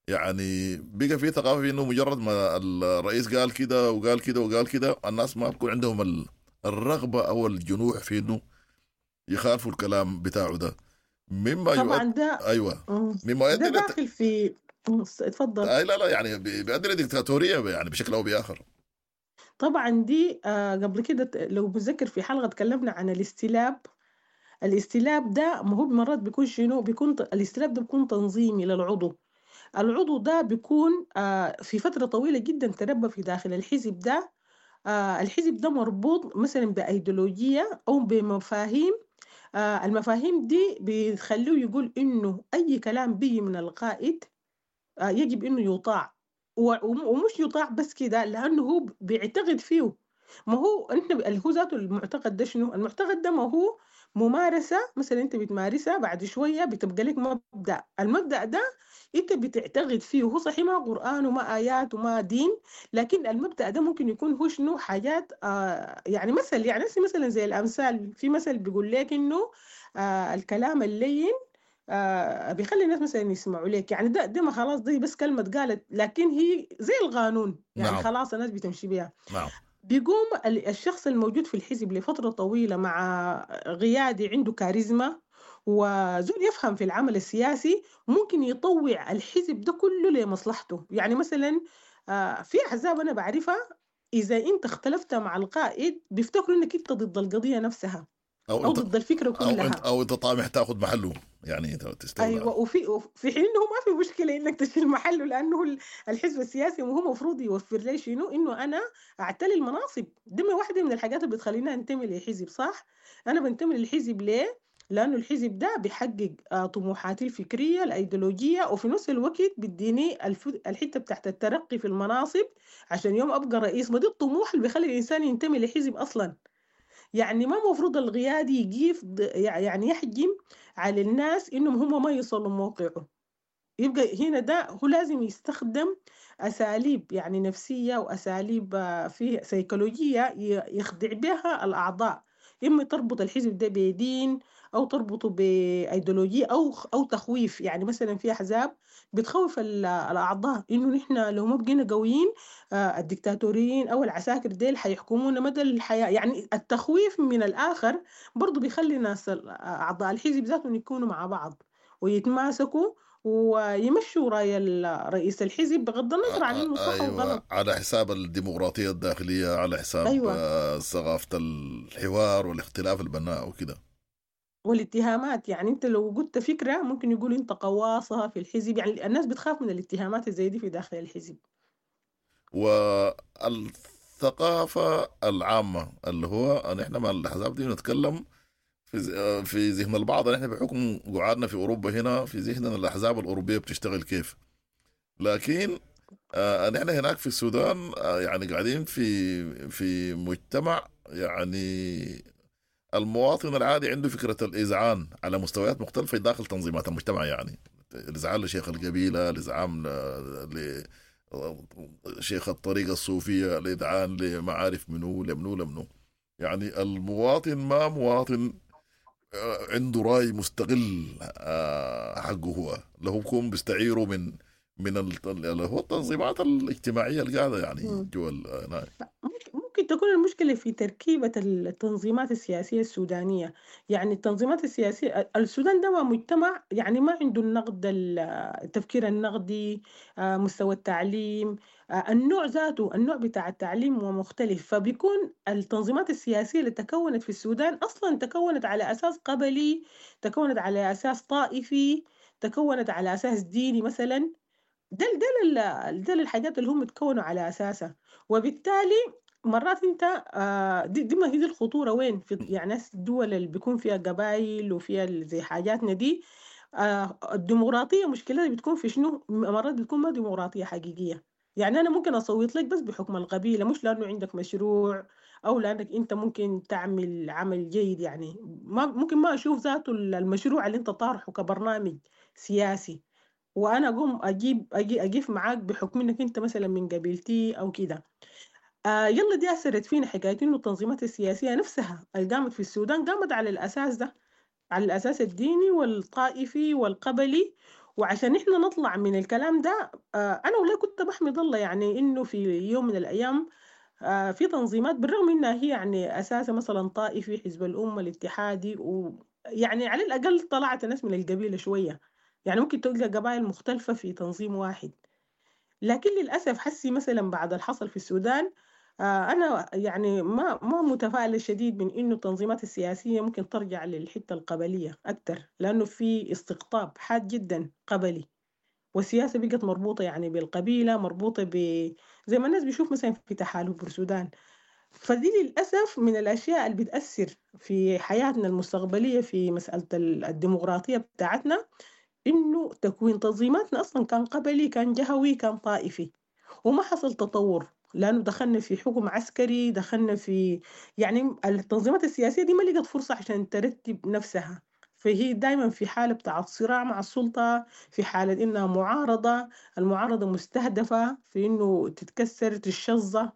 يعني بقى في ثقافة في إنه مجرد ما الرئيس قال كده وقال كده وقال كده الناس ما بكون عندهم الرغبة أو الجنوح في إنه يخالفوا الكلام بتاعه ده. مما طبعا ده ايوه مما يؤدي ده داخل في اتفضل. اي لا لا يعني بيؤدي لديكتاتوريه يعني بشكل او باخر. طبعا دي آه قبل كده لو بتذكر في حلقة تكلمنا عن الاستلاب. الاستلاب ده ما هو مرات بيكون شنو؟ بيكون الاستلاب ده بيكون تنظيمي للعضو. العضو ده بيكون آه في فترة طويلة جدا تربى في داخل الحزب ده. آه الحزب ده مربوط مثلا بأيديولوجية أو بمفاهيم. آه المفاهيم دي بتخليه يقول إنه أي كلام بيجي من القائد آه يجب إنه يطاع، ومش يطاع بس كده، لأنه هو بيعتقد فيه. ما هو أنت اللي هو ذاته المعتقد ده شنو؟ المعتقد ده ما هو ممارسة، مثلا أنت بتمارسها بعد شوية بتبقى لك مبدأ. المبدأ ده أنت بتعتقد فيه، هو صحيح ما قرآن وما آيات وما دين، لكن المبدأ ده ممكن يكون هو شنو؟ حاجات آه يعني مثل، يعني مثلا زي الأمثال، في مثل بيقول لك إنه آه الكلام اللين آه بيخلي الناس مثلا يسمعوا لك، يعني ده ده ما خلاص دي بس كلمة قالت، لكن هي زي القانون يعني. نعم. خلاص الناس بتمشي بيها. نعم. بيقوم الشخص الموجود في الحزب لفترة طويلة مع قيادي عنده كاريزما وزول يفهم في العمل السياسي، ممكن يطوع الحزب ده كله لمصلحته. يعني مثلا في أحزاب أنا بعرفها إذا أنت اختلفت مع القائد بيفتكروا إنك أنت ضد القضية نفسها أو, أو ضد الفكرة كلها، أو أنت, أو أنت طامح تأخذ محله، يعني تستولى. أيوة. وفي في حين إنه ما في مشكلة إنك تشيل محله، لأنه الحزب السياسي وهو مفروض يوفر لي شنو؟ إنه أنا أعتلي المناصب. دي واحدة من الحاجات اللي بتخليني أنتمي لحزب، صح؟ أنا بنتمي للحزب ليه؟ لأنه الحزب ده بيحقق طموحاتي الفكرية الأيديولوجية، وفي نفس الوقت بيديني الحتة بتاعت الترقي في المناصب عشان يوم أبقى رئيس. ما دي الطموح اللي بيخلي الإنسان ينتمي لحزب أصلاً. يعني ما مفروض القيادي يجيف يعني يحجم على الناس إنهم هم ما يصلوا موقعه. يبقى هنا ده هو لازم يستخدم أساليب يعني نفسية وأساليب فيه سيكولوجية يخدع بها الأعضاء، إما تربط الحزب ده بدين أو تربطه بأيديولوجية أو أو تخويف. يعني مثلا في أحزاب بتخوف الأعضاء إنه نحن لو ما بقينا قويين الدكتاتوريين أو العساكر ديل حيحكمونا مدى الحياة. يعني التخويف من الآخر برضو بيخلي ناس أعضاء الحزب ذاتهم يكونوا مع بعض ويتماسكوا ويمشوا رأي رئيس الحزب بغض النظر عن إنه صح أو غلط، على حساب الديمقراطية الداخلية، على حساب أيوة. ثقافة الحوار والاختلاف البناء وكده والاتهامات. يعني انت لو قلت فكرة ممكن يقولوا انت قواصة في الحزب، يعني الناس بتخاف من الاتهامات زي دي في داخل الحزب. والثقافة العامة اللي هو نحن مع الأحزاب دي نتكلم في في ذهن البعض، نحن بحكم قعدنا في أوروبا هنا في ذهننا الأحزاب الأوروبية بتشتغل كيف، لكن آه نحن هناك في السودان آه يعني قاعدين في في مجتمع يعني المواطن العادي عنده فكرة الإذعان على مستويات مختلفة داخل تنظيمات المجتمع، يعني الإذعان لشيخ القبيلة، الإذعان لشيخ الطريقة الصوفية، الإذعان لمعارف منو لمنو لمنو. يعني المواطن ما مواطن عنده رأي مستقل حقه هو، له بكون بيستعيره من من اللي هو التنظيمات الاجتماعية اللي قاعدة يعني جوا. ممكن تكون المشكلة في تركيبة التنظيمات السياسية السودانية. يعني التنظيمات السياسية السودان ده مجتمع يعني ما عنده النقد، التفكير النقدي، مستوى التعليم، النوع ذاته، النوع بتاع التعليم هو مختلف. فبيكون التنظيمات السياسية اللي تكونت في السودان أصلا تكونت على أساس قبلي، تكونت على أساس طائفي، تكونت على أساس ديني مثلا. ده ده ده الحاجات اللي هم تكونوا على أساسها. وبالتالي مرات انت آه دي, دي ما هي دي الخطورة وين في يعني الدول اللي بيكون فيها قبائل وفيها زي حاجاتنا دي. آه الديمقراطية مشكلتها بتكون في شنو؟ مرات بتكون ما ديمقراطية حقيقية. يعني أنا ممكن أصوت لك بس بحكم القبيلة، مش لأنه عندك مشروع أو لأنك أنت ممكن تعمل عمل جيد. يعني ما ممكن ما أشوف ذاته المشروع اللي أنت طارحه كبرنامج سياسي، وأنا أقوم أجيب أجي أجيف معاك بحكم إنك أنت مثلا من قبيلتي أو كده. آه يلا دي أثرت فينا حكاية إنه التنظيمات السياسية نفسها اللي قامت في السودان قامت على الأساس ده، على الأساس الديني والطائفي والقبلي. وعشان إحنا نطلع من الكلام ده آه أنا والله كنت بحمد الله يعني إنه في يوم من الأيام آه في تنظيمات بالرغم إنها هي يعني أساسها مثلا طائفي، حزب الأمة الاتحادي، ويعني على الأقل طلعت الناس من القبيلة شوية، يعني ممكن تلقى قبائل مختلفة في تنظيم واحد. لكن للأسف حسي مثلا بعد الحصل في السودان آه، أنا يعني ما ما متفائلة شديد من إنه التنظيمات السياسية ممكن ترجع للحتة القبلية أكتر، لأنه في استقطاب حاد جدا قبلي، والسياسة بقت مربوطة يعني بالقبيلة، مربوطة ب زي ما الناس بيشوف مثلا في تحالف السودان. فدي للأسف من الأشياء اللي بتأثر في حياتنا المستقبلية في مسألة ال- الديمقراطية بتاعتنا، إنه تكوين تنظيماتنا أصلا كان قبلي، كان جهوي، كان طائفي، وما حصل تطور، لأنه دخلنا في حكم عسكري، دخلنا في يعني التنظيمات السياسية دي ما لقت فرصة عشان ترتب نفسها، فهي دايما في حالة بتاعت صراع مع السلطة، في حالة إنها معارضة، المعارضة مستهدفة في إنه تتكسر تشظى.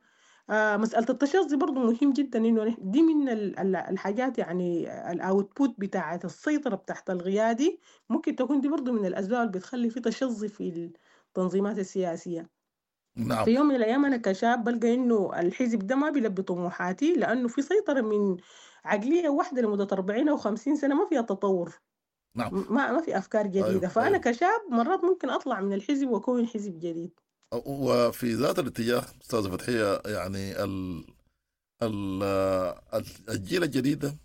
آه مسألة التشظي برضو مهم جدا، إنه نحن- دي من ال- ال- الحاجات يعني ال output بتاعت السيطرة بتاعت القيادي، ممكن تكون دي برضو من الأسباب اللي بتخلي في تشظي في التنظيمات السياسية. نعم. في يوم من الأيام أنا كشاب بلقى إنه الحزب ده ما بيلبي طموحاتي، لأنه في سيطرة من عقلية واحدة لمدة أربعين أو خمسين سنة ما فيها تطور. نعم. ما ما في أفكار جديدة. أيوه، فأنا أيوه. كشاب مرات ممكن أطلع من الحزب وأكون حزب جديد. وفي ذات الاتجاه أستاذة فتحية، يعني ال ال الجيل الجديد ده،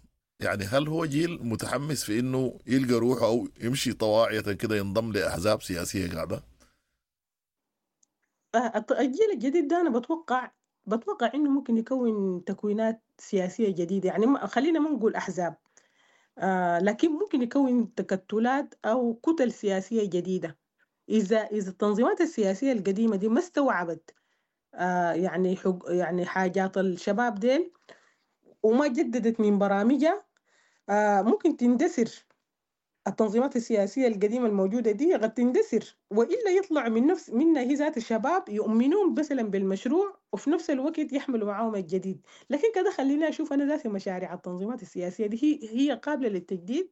يعني هل هو جيل متحمس في إنه يلقى روحه أو يمشي طواعية كده ينضم لأحزاب سياسية قاعدة؟ آه، الجيل الجديد ده أنا بتوقع بتوقع إنه ممكن يكون تكوينات سياسية جديدة، يعني ما خلينا ما نقول أحزاب، آه لكن ممكن يكون تكتلات أو كتل سياسية جديدة. إذا إذا التنظيمات السياسية القديمة دي ما استوعبت آه يعني حق يعني حاجات الشباب ديل وما جددت من برامجها، آه ممكن تندثر التنظيمات السياسية القديمة الموجودة دي، قد تندثر، وإلا يطلع من نفس منها هي ذات الشباب يؤمنون مثلا بالمشروع وفي نفس الوقت يحملوا معاهم الجديد. لكن كده خلينا أشوف أنا ذاتي مشاريع التنظيمات السياسية دي هي هي قابلة للتجديد.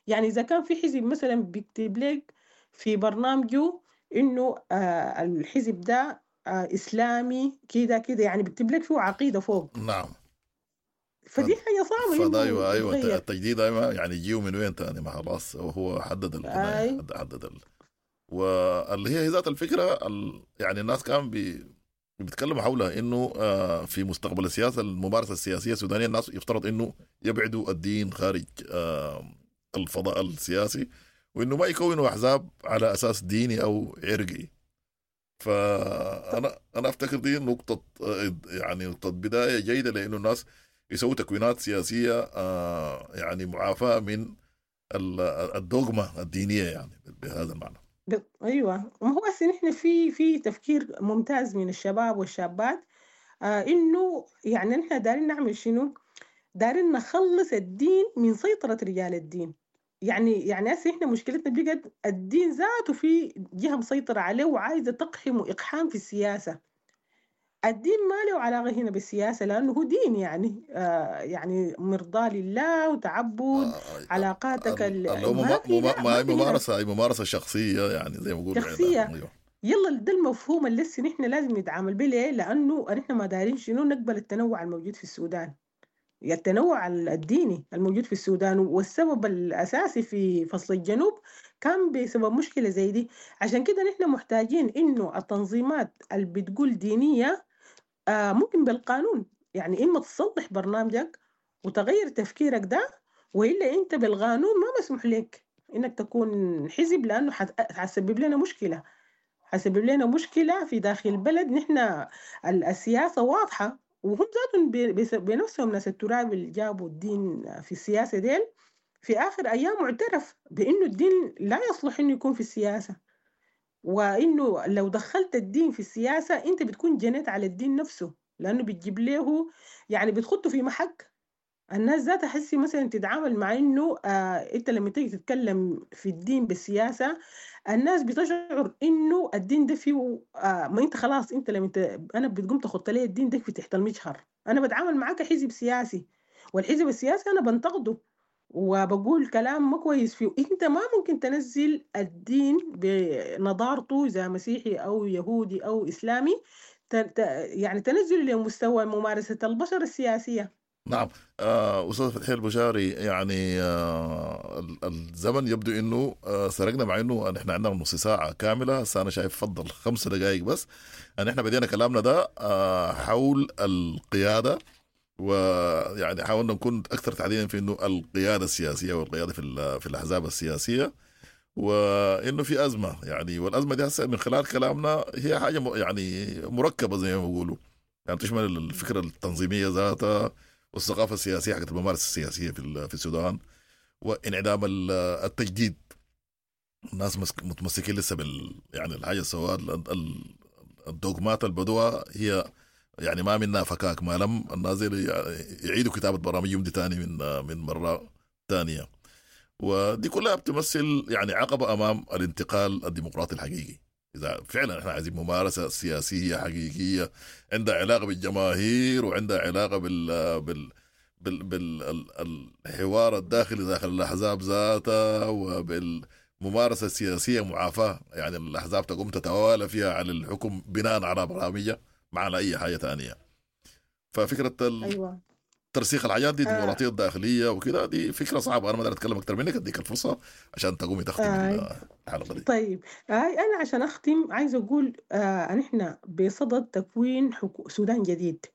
يعني إذا كان في حزب مثلا بيكتب لك في برنامجه إنه آه الحزب ده آه إسلامي كده كده، يعني بيكتب لك فيه عقيدة فوق. نعم. فدي حاجة صعبة فده إنه أيوة أيوة يتغير. التجديد أيوة يعني يجيو من وين تاني؟ ما خلاص هو حدد البناية، أي. حدد ال... واللي هي ذات الفكرة ال... يعني الناس كان بي... بيتكلموا حولها إنه آه في مستقبل السياسة الممارسة السياسية السودانية الناس يفترض إنه يبعدوا الدين خارج آه الفضاء السياسي، وإنه ما يكونوا أحزاب على أساس ديني أو عرقي. فأنا أنا أفتكر دي نقطة يعني نقطة بداية جيدة، لأنه الناس يسووا تكوينات سياسية آه يعني معافاة من الدogma الدينية يعني بهذا المعنى. أيوة، ما هو هسه نحن في في تفكير ممتاز من الشباب والشابات آه إنه يعني نحن دارين نعمل شنو؟ دارين نخلص الدين من سيطرة رجال الدين. يعني يعني هسه احنا مشكلتنا بقت الدين ذاته في جهة مسيطرة عليه وعايزة تقحم إقحام في السياسة. الدين ما له علاقة هنا بالسياسة لأنه هو دين يعني آه يعني مرضى لله وتعبد آه علاقاتك اللي هو ما في ما ممارسة أي ممارسة شخصية يعني زي ما بيقولوا شخصية. أيوه. يلا ده المفهوم اللي لسه نحن لازم نتعامل به. ليه؟ لأنه نحن ما دارين شنو نقبل التنوع الموجود في السودان، التنوع الديني الموجود في السودان، والسبب الأساسي في فصل الجنوب كان بسبب مشكلة زي دي. عشان كده نحن محتاجين إنه التنظيمات اللي بتقول دينية آه ممكن بالقانون، يعني إما تصلح برنامجك وتغير تفكيرك ده، وإلا أنت بالقانون ما مسموح لك إنك تكون حزب، لأنه حتسبب لنا مشكلة، حتسبب لنا مشكلة في داخل البلد. نحن السياسة واضحة، وهم ذاتهم بنفسهم ناس التراب اللي جابوا الدين في السياسة ديل في آخر أيام اعترف بإنه الدين لا يصلح إنه يكون في السياسة، وإنه لو دخلت الدين في السياسة أنت بتكون جنيت على الدين نفسه، لأنه بتجيب له يعني بتخطه في محك. الناس ذاتها حسي مثلا تتعامل مع إنه آه أنت لما تيجي تتكلم في الدين بالسياسة الناس بتشعر إنه الدين ده فيه آه ما أنت خلاص أنت لما أنت أنا بتقوم تخط لي الدين ده في تحت المجهر، أنا بتعامل معاك حزب سياسي، والحزب السياسي أنا بنتقده وبقول كلام ما كويس فيه. أنت ما ممكن تنزل الدين بنظارته إذا مسيحي أو يهودي أو إسلامي ت... ت... يعني تنزل لمستوى ممارسة البشر السياسية. نعم. آه، أستاذ فتحي البشاري، يعني آه، ال- الزمن يبدو إنه آه، سرقنا، مع إنه نحن عندنا نص ساعة كاملة، هسه أنا شايف فضل خمس دقائق بس. نحن بدينا كلامنا ده آه، حول القيادة، ويعني حاولنا نكون أكثر تحديدا في إنه القيادة السياسية والقيادة في ال- في الأحزاب السياسية، وإنه في أزمة يعني، والأزمة دي هسه من خلال كلامنا هي حاجة م- يعني مركبة زي ما بيقولوا، يعني تشمل الفكرة التنظيمية ذاتها والثقافة السياسية حقت الممارسة السياسية في ال- في السودان، وانعدام ال- التجديد. الناس مسك- متمسكين لسه بال يعني الحاجة السواء ال- ال- الدوغمات البدوة هي يعني ما منها فكاك، ما لم الناس دي يعيدوا كتابة برامجهم دي تاني من من مرة تانية، ودي كلها بتمثل يعني عقبة أمام الانتقال الديمقراطي الحقيقي. إذا فعلا احنا عايزين ممارسة سياسية حقيقية عندها علاقة بالجماهير وعندها علاقة بال بال بال بالحوار الداخلي داخل الأحزاب ذاتها، وبالممارسة السياسية معافاة، يعني الأحزاب تقوم تتوالى فيها على الحكم بناء على برامجها ما على أي حاجة تانية. ففكرة ال- أيوة. ترسيخ الحاجات دي، آه. الديمقراطية الداخلية وكده، دي فكرة صعبة. أنا ما أقدر أتكلم أكثر منك، أديك الفرصة عشان تقومي تختمي آه. الحلقة دي. طيب، آه أنا عشان أختم عايزة أقول آه نحن بصدد تكوين حكو... سودان جديد،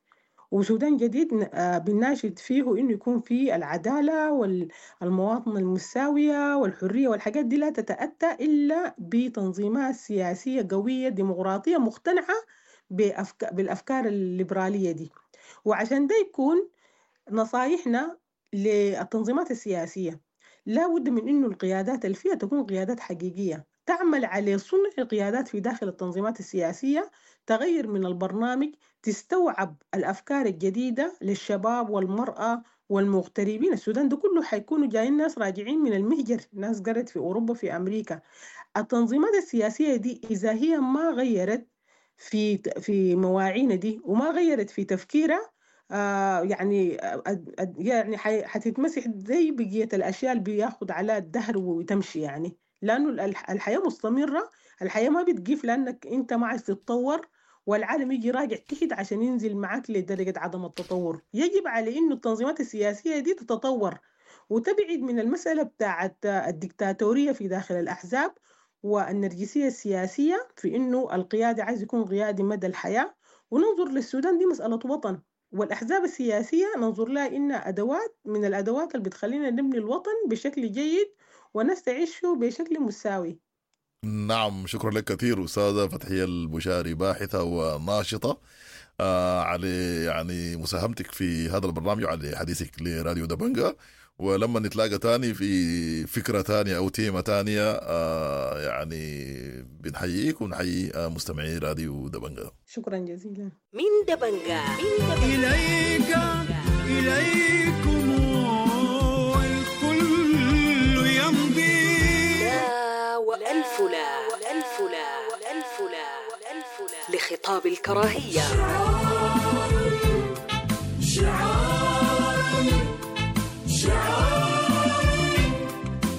وسودان جديد ن- آه، بنناشد فيه إنه يكون فيه العدالة والمواطنة المساوية والحرية والحاجات دي لا تتأتى إلا بتنظيمات سياسية قوية ديمقراطية مقتنعة بأفك... بالأفكار الليبرالية دي. وعشان ده يكون نصايحنا للتنظيمات السياسية، لا بد من إنه القيادات اللي فيها تكون قيادات حقيقية تعمل على صنع قيادات في داخل التنظيمات السياسية، تغير من البرنامج، تستوعب الأفكار الجديدة للشباب والمرأة والمغتربين. السودان ده كله حيكونوا جايين ناس راجعين من المهجر، ناس قرت في أوروبا في أمريكا. التنظيمات السياسية دي إذا هي ما غيرت في في مواعينا دي وما غيرت في تفكيرها، آه يعني آه، يعني حي- حتتمسح زي بقية الأشياء اللي بياخد على الدهر وتمشي، يعني لأنه الح- الحياة مستمرة، الحياة ما بتقف لأنك أنت ما عايز تتطور، والعالم يجي راجع تحت عشان ينزل معاك لدرجة عدم التطور. يجب على إنه التنظيمات السياسية دي تتطور وتبعد من المسألة بتاعت الدكتاتورية في داخل الأحزاب والنرجسية السياسية في إنه القيادي عايز يكون قيادي مدى الحياة. وننظر للسودان دي مسألة وطن، والأحزاب السياسية ننظر لها إنها أدوات من الأدوات اللي بتخلينا نبني الوطن بشكل جيد والناس تعيشه بشكل مساوي. نعم، شكرا لك كثير أستاذة فتحية البشاري، باحثة وناشطة، آه على يعني مساهمتك في هذا البرنامج وعلى حديثك لراديو دبنجا. ولما نتلاقى تاني في فكرة تانية أو تيمة تانية، آه يعني بنحييك ونحيي آه مستمعي راديو دبنجا. شكرا جزيلا. من دبنجا من دبنجا إليك إليكم الكل يمضي. لا وألف لا وألف لا وألف لا وألف لا لخطاب الكراهية.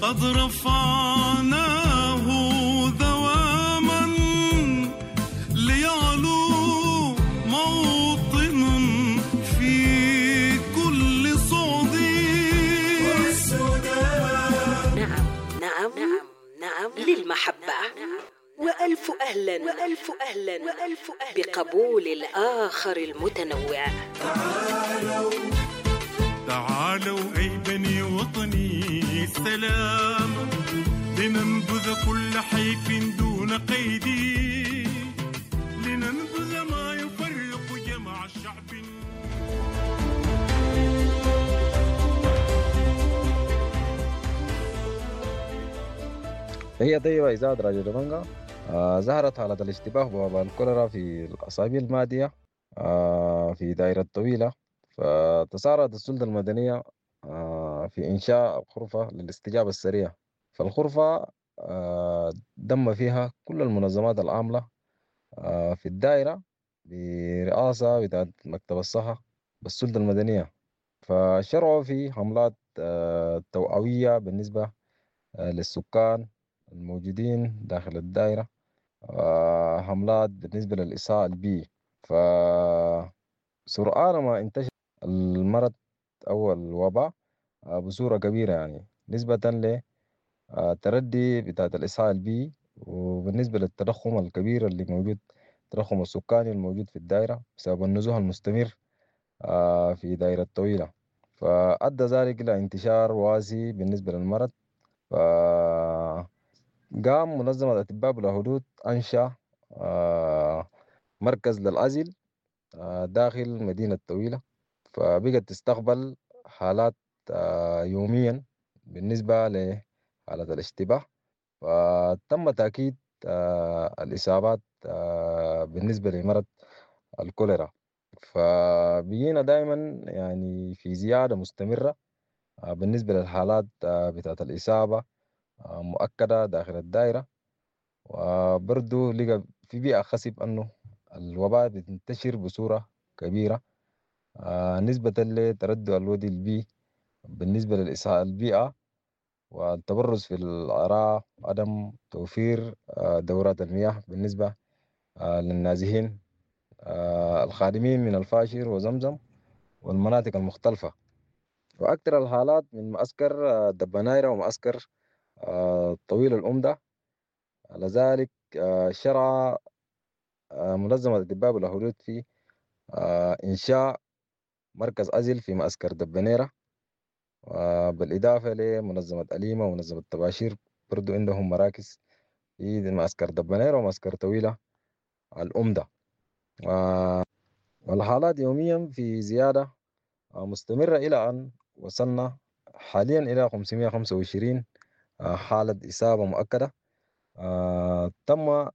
قد رفعناه دواما ليعلو موطن في كل صعد. نعم نعم نعم نعم للمحبة، وألف أهلا وألف أهلا وألف أهلا بقبول الآخر المتنوع. تعالوا أي بني وطني السلام، لننبذ كل حيف دون قيد، لننبذ ما يفرق جمع الشعب. تحية طيبة إذاعة راديو دبنجا. آه ظهرت حالة الاشتباه بوباء الكوليرا في الأسابيع الماضية آه في دائرة طويلة، فتسارعت السلطة المدنية آه في إنشاء غرفة للاستجابة السريعة. فالغرفة آه دم فيها كل المنظمات العاملة آه في الدائرة برئاسة بتاعت مكتب الصحة بالسلطة المدنية، فشرعوا في حملات آه توعوية بالنسبة آه للسكان الموجودين داخل الدائرة، آه حملات بالنسبة للإساءة البيئي. فسرعان ما انتشر المرض أو الوباء بصورة كبيرة، يعني نسبة لتردي بتاعت الإسهال البيئي، وبالنسبة للتضخم الكبير اللي موجود، التضخم السكاني الموجود في الدائرة بسبب النزوح المستمر في دائرة طويلة، فأدى ذلك إلى انتشار واسع بالنسبة للمرض. فقام منظمة أطباء بلا حدود أنشأ مركز للعزل داخل مدينة طويلة، فبقت تستقبل حالات يوميا بالنسبة لحالة الاشتباه، فتم تأكيد الإصابات بالنسبة لمرض الكوليرا. فبقينا دائما يعني في زيادة مستمرة بالنسبة للحالات بتاعت الإصابة مؤكدة داخل الدائرة، وبرضو لقى في بيئة خصب أنه الوباء بتنتشر بصورة كبيرة نسبة لتردد الودي البيئي بالنسبة للإسهال البيئة والتبرز في العراء، عدم توفير دورات المياه بالنسبة للنازحين الخادمين من الفاشر وزمزم والمناطق المختلفة. وأكثر الحالات من معسكر دبنايرة ومعسكر طويل الأمدة. لذلك شرع منظمة أطباء بلا حدود في إنشاء مركز عزل في معسكر دبنيرة، بالإضافة لمنظمة أليمة ومنظمة تباشير برضو عندهم مراكز في معسكر دبنيرة ومعسكر طويلة الأمدة. والحالات يوميا في زيادة مستمرة إلى أن وصلنا حاليا إلى خمسمية وخمسة وعشرين حالة إصابة مؤكدة. تم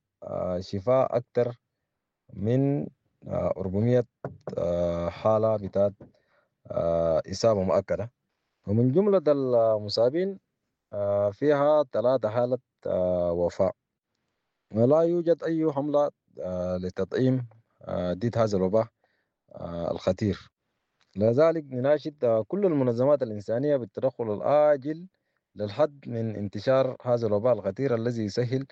شفاء أكثر من أربعمية حالة بتاعت إصابة مؤكدة، ومن جملة المصابين فيها ثلاثة حالة وفاة. ولا يوجد أي حملة لتطعيم ضد هذا الوباء الخطير. لذلك نناشد كل المنظمات الإنسانية بالتدخل العاجل للحد من انتشار هذا الوباء الخطير الذي يسهل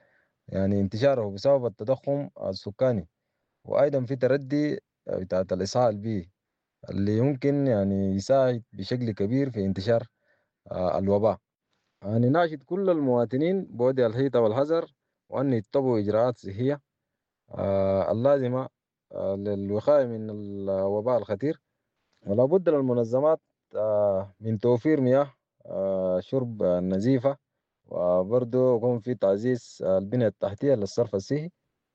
يعني انتشاره بسبب التضخم السكاني، وأيضا في تردي بتاعت الإسهال البيئي اللي يمكن يعني يساعد بشكل كبير في انتشار الوباء. يعني ناشد كل المواطنين بوضع الحيطة والحذر وأن يتبعوا إجراءات صحية اللازمة للوقاية من الوباء الخطير، ولا بد للمنظمات من توفير مياه شرب نظيفة، وبرضه يكون في تعزيز البنية التحتية للصرف الصحي،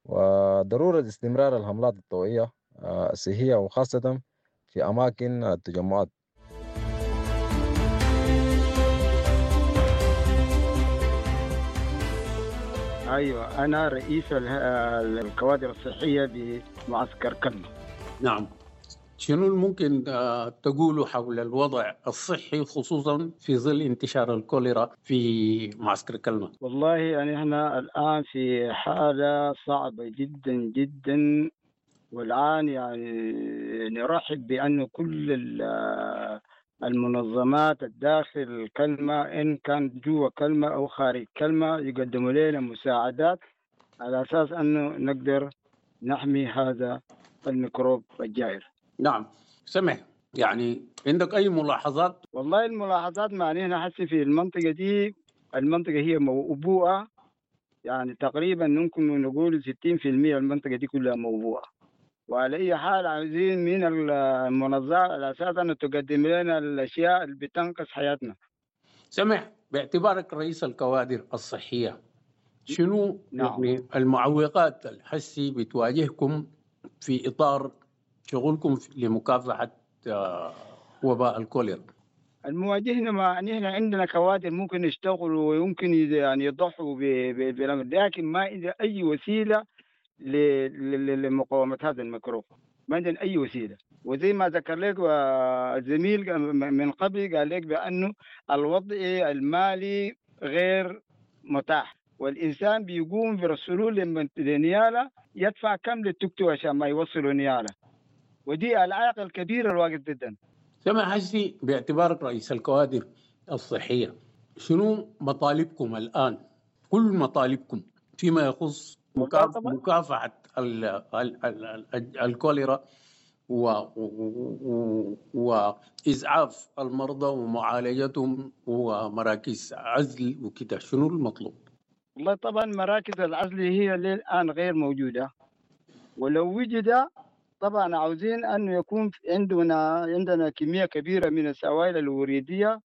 وضرورة استمرار الحملات التوعية الصحية وخاصة في أماكن التجمعات. أيوة، أنا رئيس الكوادر الصحية بمعسكر كلمة. نعم، شنو ممكن تقوله حول الوضع الصحي خصوصا في ظل انتشار الكوليرا في معسكر كلمة؟ والله يعني احنا الآن في حالة صعبة جدا جدا، والآن يعني نرحب بأن كل المنظمات الداخل كلمة إن كان جوا كلمة أو خارج كلمة يقدموا لنا مساعدات على أساس أنه نقدر نحمي هذا الميكروب الجائر. نعم، سمح، يعني عندك أي ملاحظات؟ والله الملاحظات ما نحن حسي في المنطقة دي، المنطقة هي موبوءة، يعني تقريبا ممكن نقول ستين في المية المنطقة دي كلها موبوءة. وعلى أي حال عايزين من المنظمة على أساس أن تقدم لنا الأشياء اللي بتنقذ حياتنا. سمح، باعتبارك رئيس الكوادر الصحية، شنو نعم. يعني المعوقات الحسي بتواجهكم في إطار شغلكم لمكافحة وباء الكوليرا؟ المواجهة ما نحن عندنا كوادر ممكن يشتغلوا ويمكن يعني يضحوا بالأمر، لكن ما عندنا أي وسيلة لمقاومة هذا الميكروب، ما عندنا أي وسيلة. وزي ما ذكر لك الزميل من قبل قال لك بأنه الوضع المالي غير متاح، والإنسان بيقوم برسلوه لنيالة يدفع كم للتوك عشان ما يوصلوا نيالة، ودي العائق الكبير الواقف ضدنا. سمع حسي، باعتبارك رئيس الكوادر الصحية، شنو مطالبكم الآن؟ كل مطالبكم فيما يخص مكافحة ال ال ال ال الكوليرا و... و... وإسعاف المرضى ومعالجتهم ومراكز عزل وكده، شنو المطلوب؟ والله طبعا مراكز العزل هي للآن غير موجودة، ولو وجد طبعا عاوزين أن يكون عندنا عندنا كمية كبيرة من السوائل الوريدية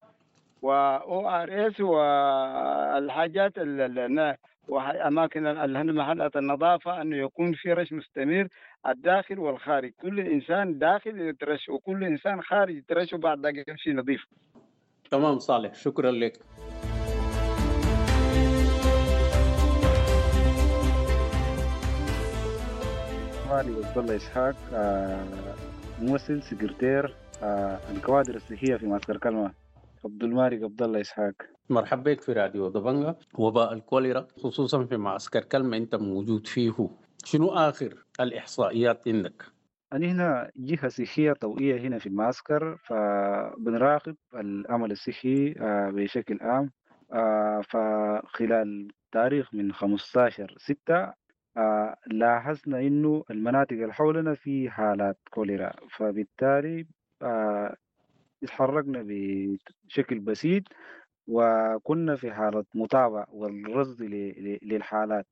و O R S والحاجات وأماكن محلات النظافة، أنه يكون في رش مستمر الداخل والخارج، كل إنسان داخل يترش وكل إنسان خارج يترش وبعد ذلك يمشي نظيف. تمام صالح، شكرا لك. مالي عبد الله إسحاق، ممثل سكرتير الكوادر الصحية في معسكر كلمة. عبد المالك عبد الله إسحاق، مرحبا بك في راديو دبنجة. وباء الكوليرا خصوصا في معسكر كلمة أنت موجود فيه، شنو آخر الإحصائيات عندك؟ أنا هنا جهة صحية طوعية هنا في المعسكر، فبنراقب العمل الصحي بشكل عام. فخلال تاريخ من خمستاشر ستة لاحظنا إنه المناطق اللي حولنا في حالات كوليرا، فبالتالي اتحركنا بشكل بسيط وكنا في حالة متابعة والرصد للحالات.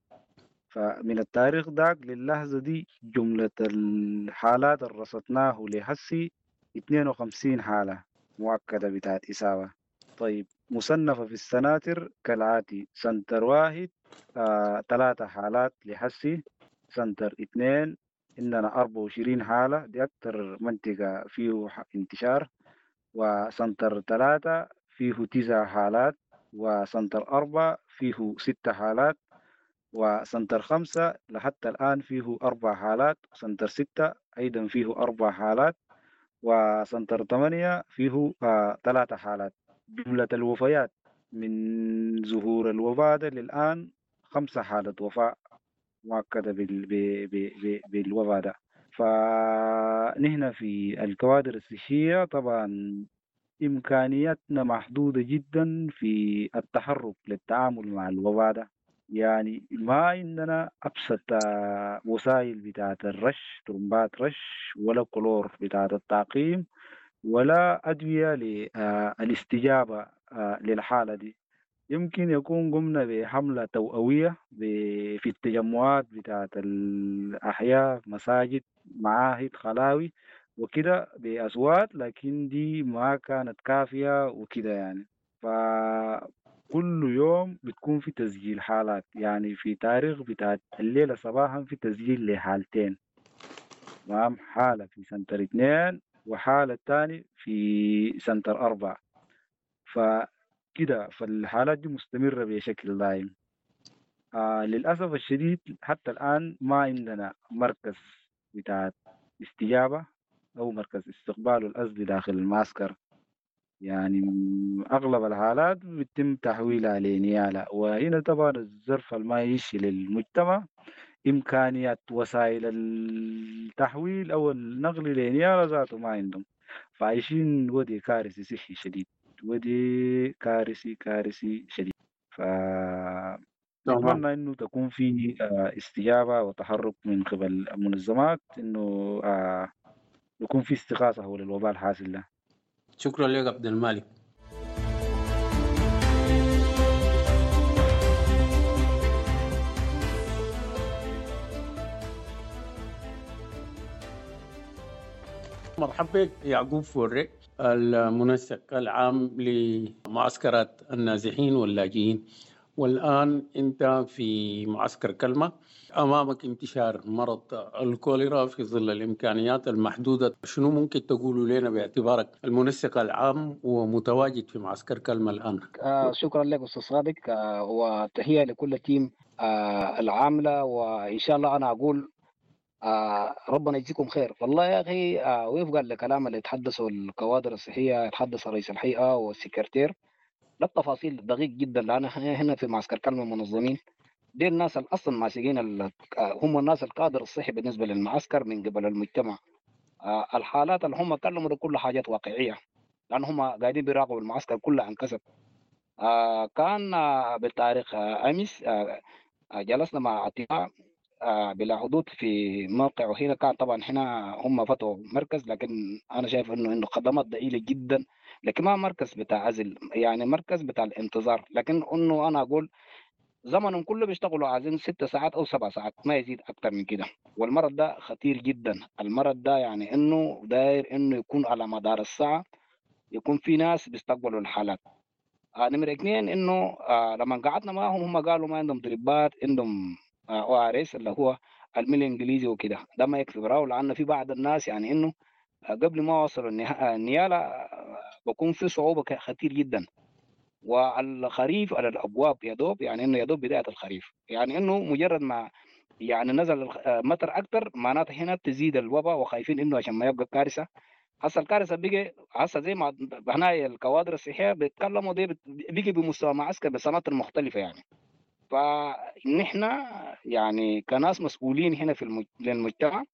فمن التاريخ داك للحظة دي جملة الحالات اللي رصدناه لحسي اثنين وخمسين حالة مؤكدة بتاعت إصابة. طيب مصنفة في السناتر كالآتي: center واحد آه، ثلاثة حالات لحسي، center اثنين عندنا أربعة وعشرين حالة، دي أكتر منطقة فيه انتشار، و center ثلاثة فيه تسع حالات، و center أربعة فيه ستة حالات، و center خمسة لحتى الآن فيه أربع حالات، center ستة أيضا فيه أربع حالات، و center ثمانية فيه آه ثلاثة حالات. جملة الوفيات من ظهور الوباء ده للآن خمسة حالة وفاة مؤكدة بال... ب... ب... ب... بالوباء ده. فنحن في الكوادر الصحية طبعا إمكانياتنا محدودة جدا في التحرك للتعامل مع الوباء ده، يعني ما عندنا أبسط وسائل بتاعة الرش، ترمبات رش، ولا كلور بتاعة التعقيم، ولا أدوية للاستجابة للحالة دي. يمكن يكون قمنا بحملة توعوية في التجمعات بتاعة الأحياء، مساجد، معاهد، خلاوي وكده بأصوات، لكن دي ما كانت كافية وكده يعني. فكل يوم بتكون في تسجيل حالات، يعني في تاريخ بتاع الليلة صباحا في تسجيل لحالتين، تمام، حالة في center اثنين وحالة تاني في center أربعة، فكده فالحالات دي مستمرة بشكل دائم. آه للأسف الشديد حتى الآن ما عندنا مركز بتاع استجابة أو مركز استقبال الأزلي داخل المعسكر، يعني أغلب الحالات بيتم تحويلها لنيالة، وهنا طبعا الظرف المعيشي للمجتمع إمكانيات وسائل التحويل أو النقل لنيالة ذاته ما عندهم، فعايشين ودي كارثي صحي شديد، ودي كارثي كارثي شديد. ف نتمنى إنه تكون في استجابة وتحرك من قبل المنظمات، إنه يكون في استغاثة حول الوباء الحاصل ده. شكرا لك عبد المالك. مرحبا بك يعقوب فوري، المنسق العام لمعسكرات النازحين واللاجئين، والآن أنت في معسكر كلمة، أمامك انتشار مرض الكوليرا في ظل الإمكانيات المحدودة، شنو ممكن تقولوا لنا باعتبارك المنسق العام ومتواجد في معسكر كلمة الآن؟ آه شكرا لك أستاذ صادق، آه وتحية لكل تيم آه العاملة، وإن شاء الله أنا أقول آه ربنا يجزيكم خير. والله يا أخي آه وفقا لكلام اللي تحدثوا الكوادر الصحية، تحدث رئيس الهيئة والسكرتير، لا التفاصيل دقيق جدا، لأن هنا في معسكر كلمة منظمين، دي الناس اللي أصلا ماسكين، هم الناس القادر الصحي بالنسبة للمعسكر من قبل المجتمع. آه الحالات اللي هم كلموا ده كل حاجات واقعية، لأن هم قاعدين بيراقبوا المعسكر كله عن كسب. آه كان آه بالتاريخ آه أمس آه جلسنا مع اتباع بلا حدود في موقعه هنا. كان طبعا هنا هم فتحوا مركز، لكن انا شايف انه انه خدمات ضئيلة جدا، لكن ما مركز بتاع عزل، يعني مركز بتاع الانتظار. لكن انه انا اقول زمنهم كله بيشتغلوا عايزين ست ساعات او سبع ساعات، ما يزيد اكثر من كده. والمرض ده خطير جدا، المرض ده يعني انه داير انه يكون على مدار الساعة يكون في ناس بيستقبلوا الحالات. آه نمرة اثنين انه آه لما قعدنا معاهم هم قالوا ما عندهم دريبات، عندهم ORS اللي هو الملح الانجليزي وكده، ده ما يكفي براو، لانه في بعض الناس يعني انه قبل ما وصلوا النياله بكون في صعوبة خطير جدا. والخريف على الابواب يا دوب، يعني انه يا دوب بداية الخريف، يعني انه مجرد ما يعني نزل مطر اكثر معناته هنا تزيد الوباء، وخايفين انه عشان ما يبقى كارثة. هسه الكارثة بقى هسه زي ما هنا الكوادر الصحية بيتكلموا دي بقي بمستوى معسكر بسنوات مختلفة يعني. فنحن يعني كناس مسؤولين هنا في المجتمع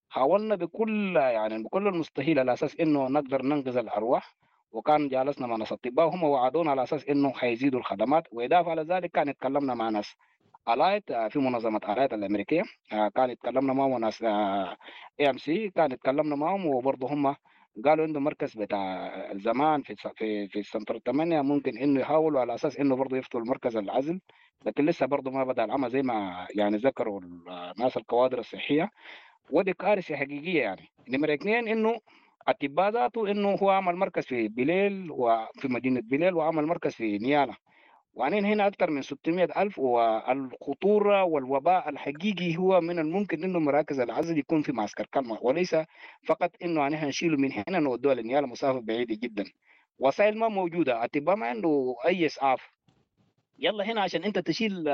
حاولنا بكل يعني بكل المستحيل على اساس انه نقدر ننقذ الارواح، وكان جالسنا مع ناس اطباء وهم وعدونا على اساس انه حيزيدوا الخدمات. واضافه على ذلك كان اتكلمنا مع ناس الايت في منظمة الايت الامريكية، كان اتكلمنا معهم ناس AMC، كان اتكلمنا معهم، وبرضه هم قالوا عنده مركز بتاع زمان في في في سنتر ثمانية ممكن انه يحاولوا على اساس انه برضه يفتحوا المركز العزل، لكن لسه برضه ما بدا العمل زي ما يعني ذكروا الناس الكوادر الصحية، ودي كارثة حقيقية يعني. نمره اثنين انه اطباء ذاته انه هو عمل مركز في بليل وفي مدينة بليل، وعمل مركز في نيالا، وعنين هنا أكثر من ستمائة ألف. والخطورة والوباء الحقيقي هو من الممكن إنه مراكز العزل يكون في معسكر كلمة، وليس فقط إنه نحن نشيله من هنا نودوه لنيالا، مسافة بعيدة جدا، وسائل ما موجودة، أطباء ما عنده أي إسعاف. يلا هنا عشان أنت تشيل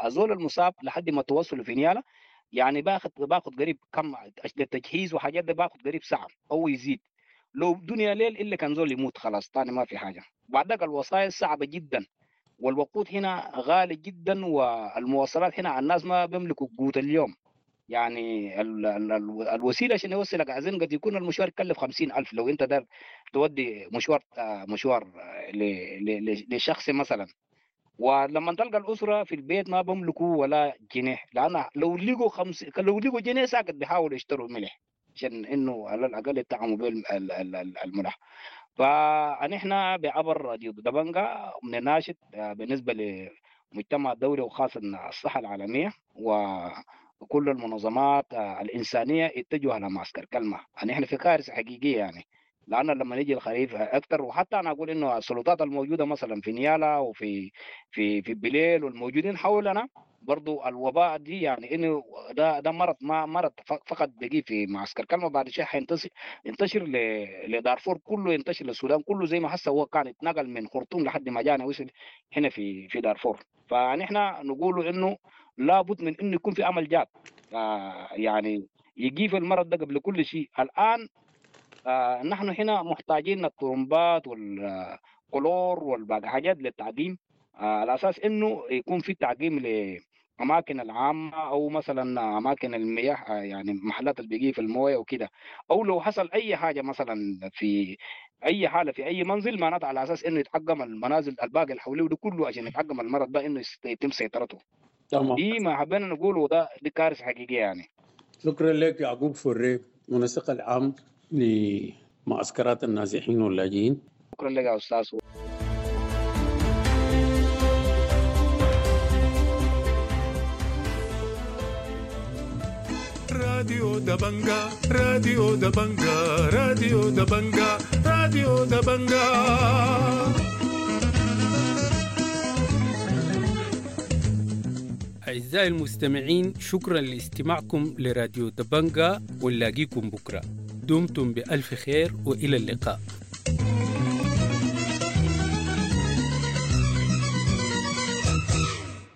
الزول المصاب لحد ما توصله في نيالا، يعني باخذ باخذ قريب كم التجهيز وحاجات ده باخذ قريب ساعة أو يزيد. لو دنيا ليل إلا كان زول يموت خلاص تاني ما في حاجة. بعد ذاك الوسائل صعبة جدا، والوقود هنا غالي جدا، والمواصلات هنا الناس ما بيملكوا قوت اليوم. يعني ال ال ال الوسيلة عشان يوصلك عزين قد يكون المشوار يكلف خمسين ألف لو أنت دار تودي مشوار مشوار لشخص مثلا. ولما تلقى الأسرة في البيت ما بيملكوا ولا جنيه، لأن لو لقوا خمس لو لقوا جنيه ساكت بيحاولوا يشتروا ملح عشان إنه على الأقل يطعموا به الملح. فنحن بعبر راديو دبنجا بنناشد بالنسبة للمجتمع الدولي وخاصة الصحة العالمية وكل المنظمات الإنسانية يتجهوا على معسكر كلمة. نحن في كارثة حقيقية يعني، لأن لما يجي الخريف أكثر، وحتى أنا أقول إنه السلطات الموجودة مثلا في نيالا وفي في في بليل والموجودين حولنا برضو الوباء دي، يعني إنه ده ده مرض ما مرض فقط بيجي في معسكر كلمة، بعد شيء حينتشر ينتشر لدارفور كله، ينتشر للسودان كله، زي ما حس هو كان اتنقل من خرطوم لحد ما جانا وصل هنا في في دارفور. فنحن نقول إنه لابد من إنه يكون في عمل جاد، يعني يجي في المرض ده قبل كل شيء. الآن آه نحن هنا محتاجين الطرمبات والكلور والباقي حاجات للتعقيم، آه على اساس انه يكون في تعقيم لاماكن العامة او مثلا اماكن المياه، آه يعني محلات اللي بيجي في المويه وكده، او لو حصل اي حاجة مثلا في اي حاله في اي منزل، معناته على اساس انه يتعقم المنازل الباقي اللي حواليه ده كله عشان يتعقم المرض ده انه يتم سيطرته. تمام، دي ما حبينا نقوله، ده دي كارثة حقيقية يعني. شكرا لك يعقوب فري، منسق العام لمعسكرات النازحين واللاجئين. شكرا لك يا استاذ. راديو دبنجا، راديو دبنجا، راديو دبنجا، راديو دبنجا. أعزائي المستمعين، شكرا لاستماعكم لراديو دبنجا، ونلاقيكم بكرة. دمتم بألف خير وإلى اللقاء.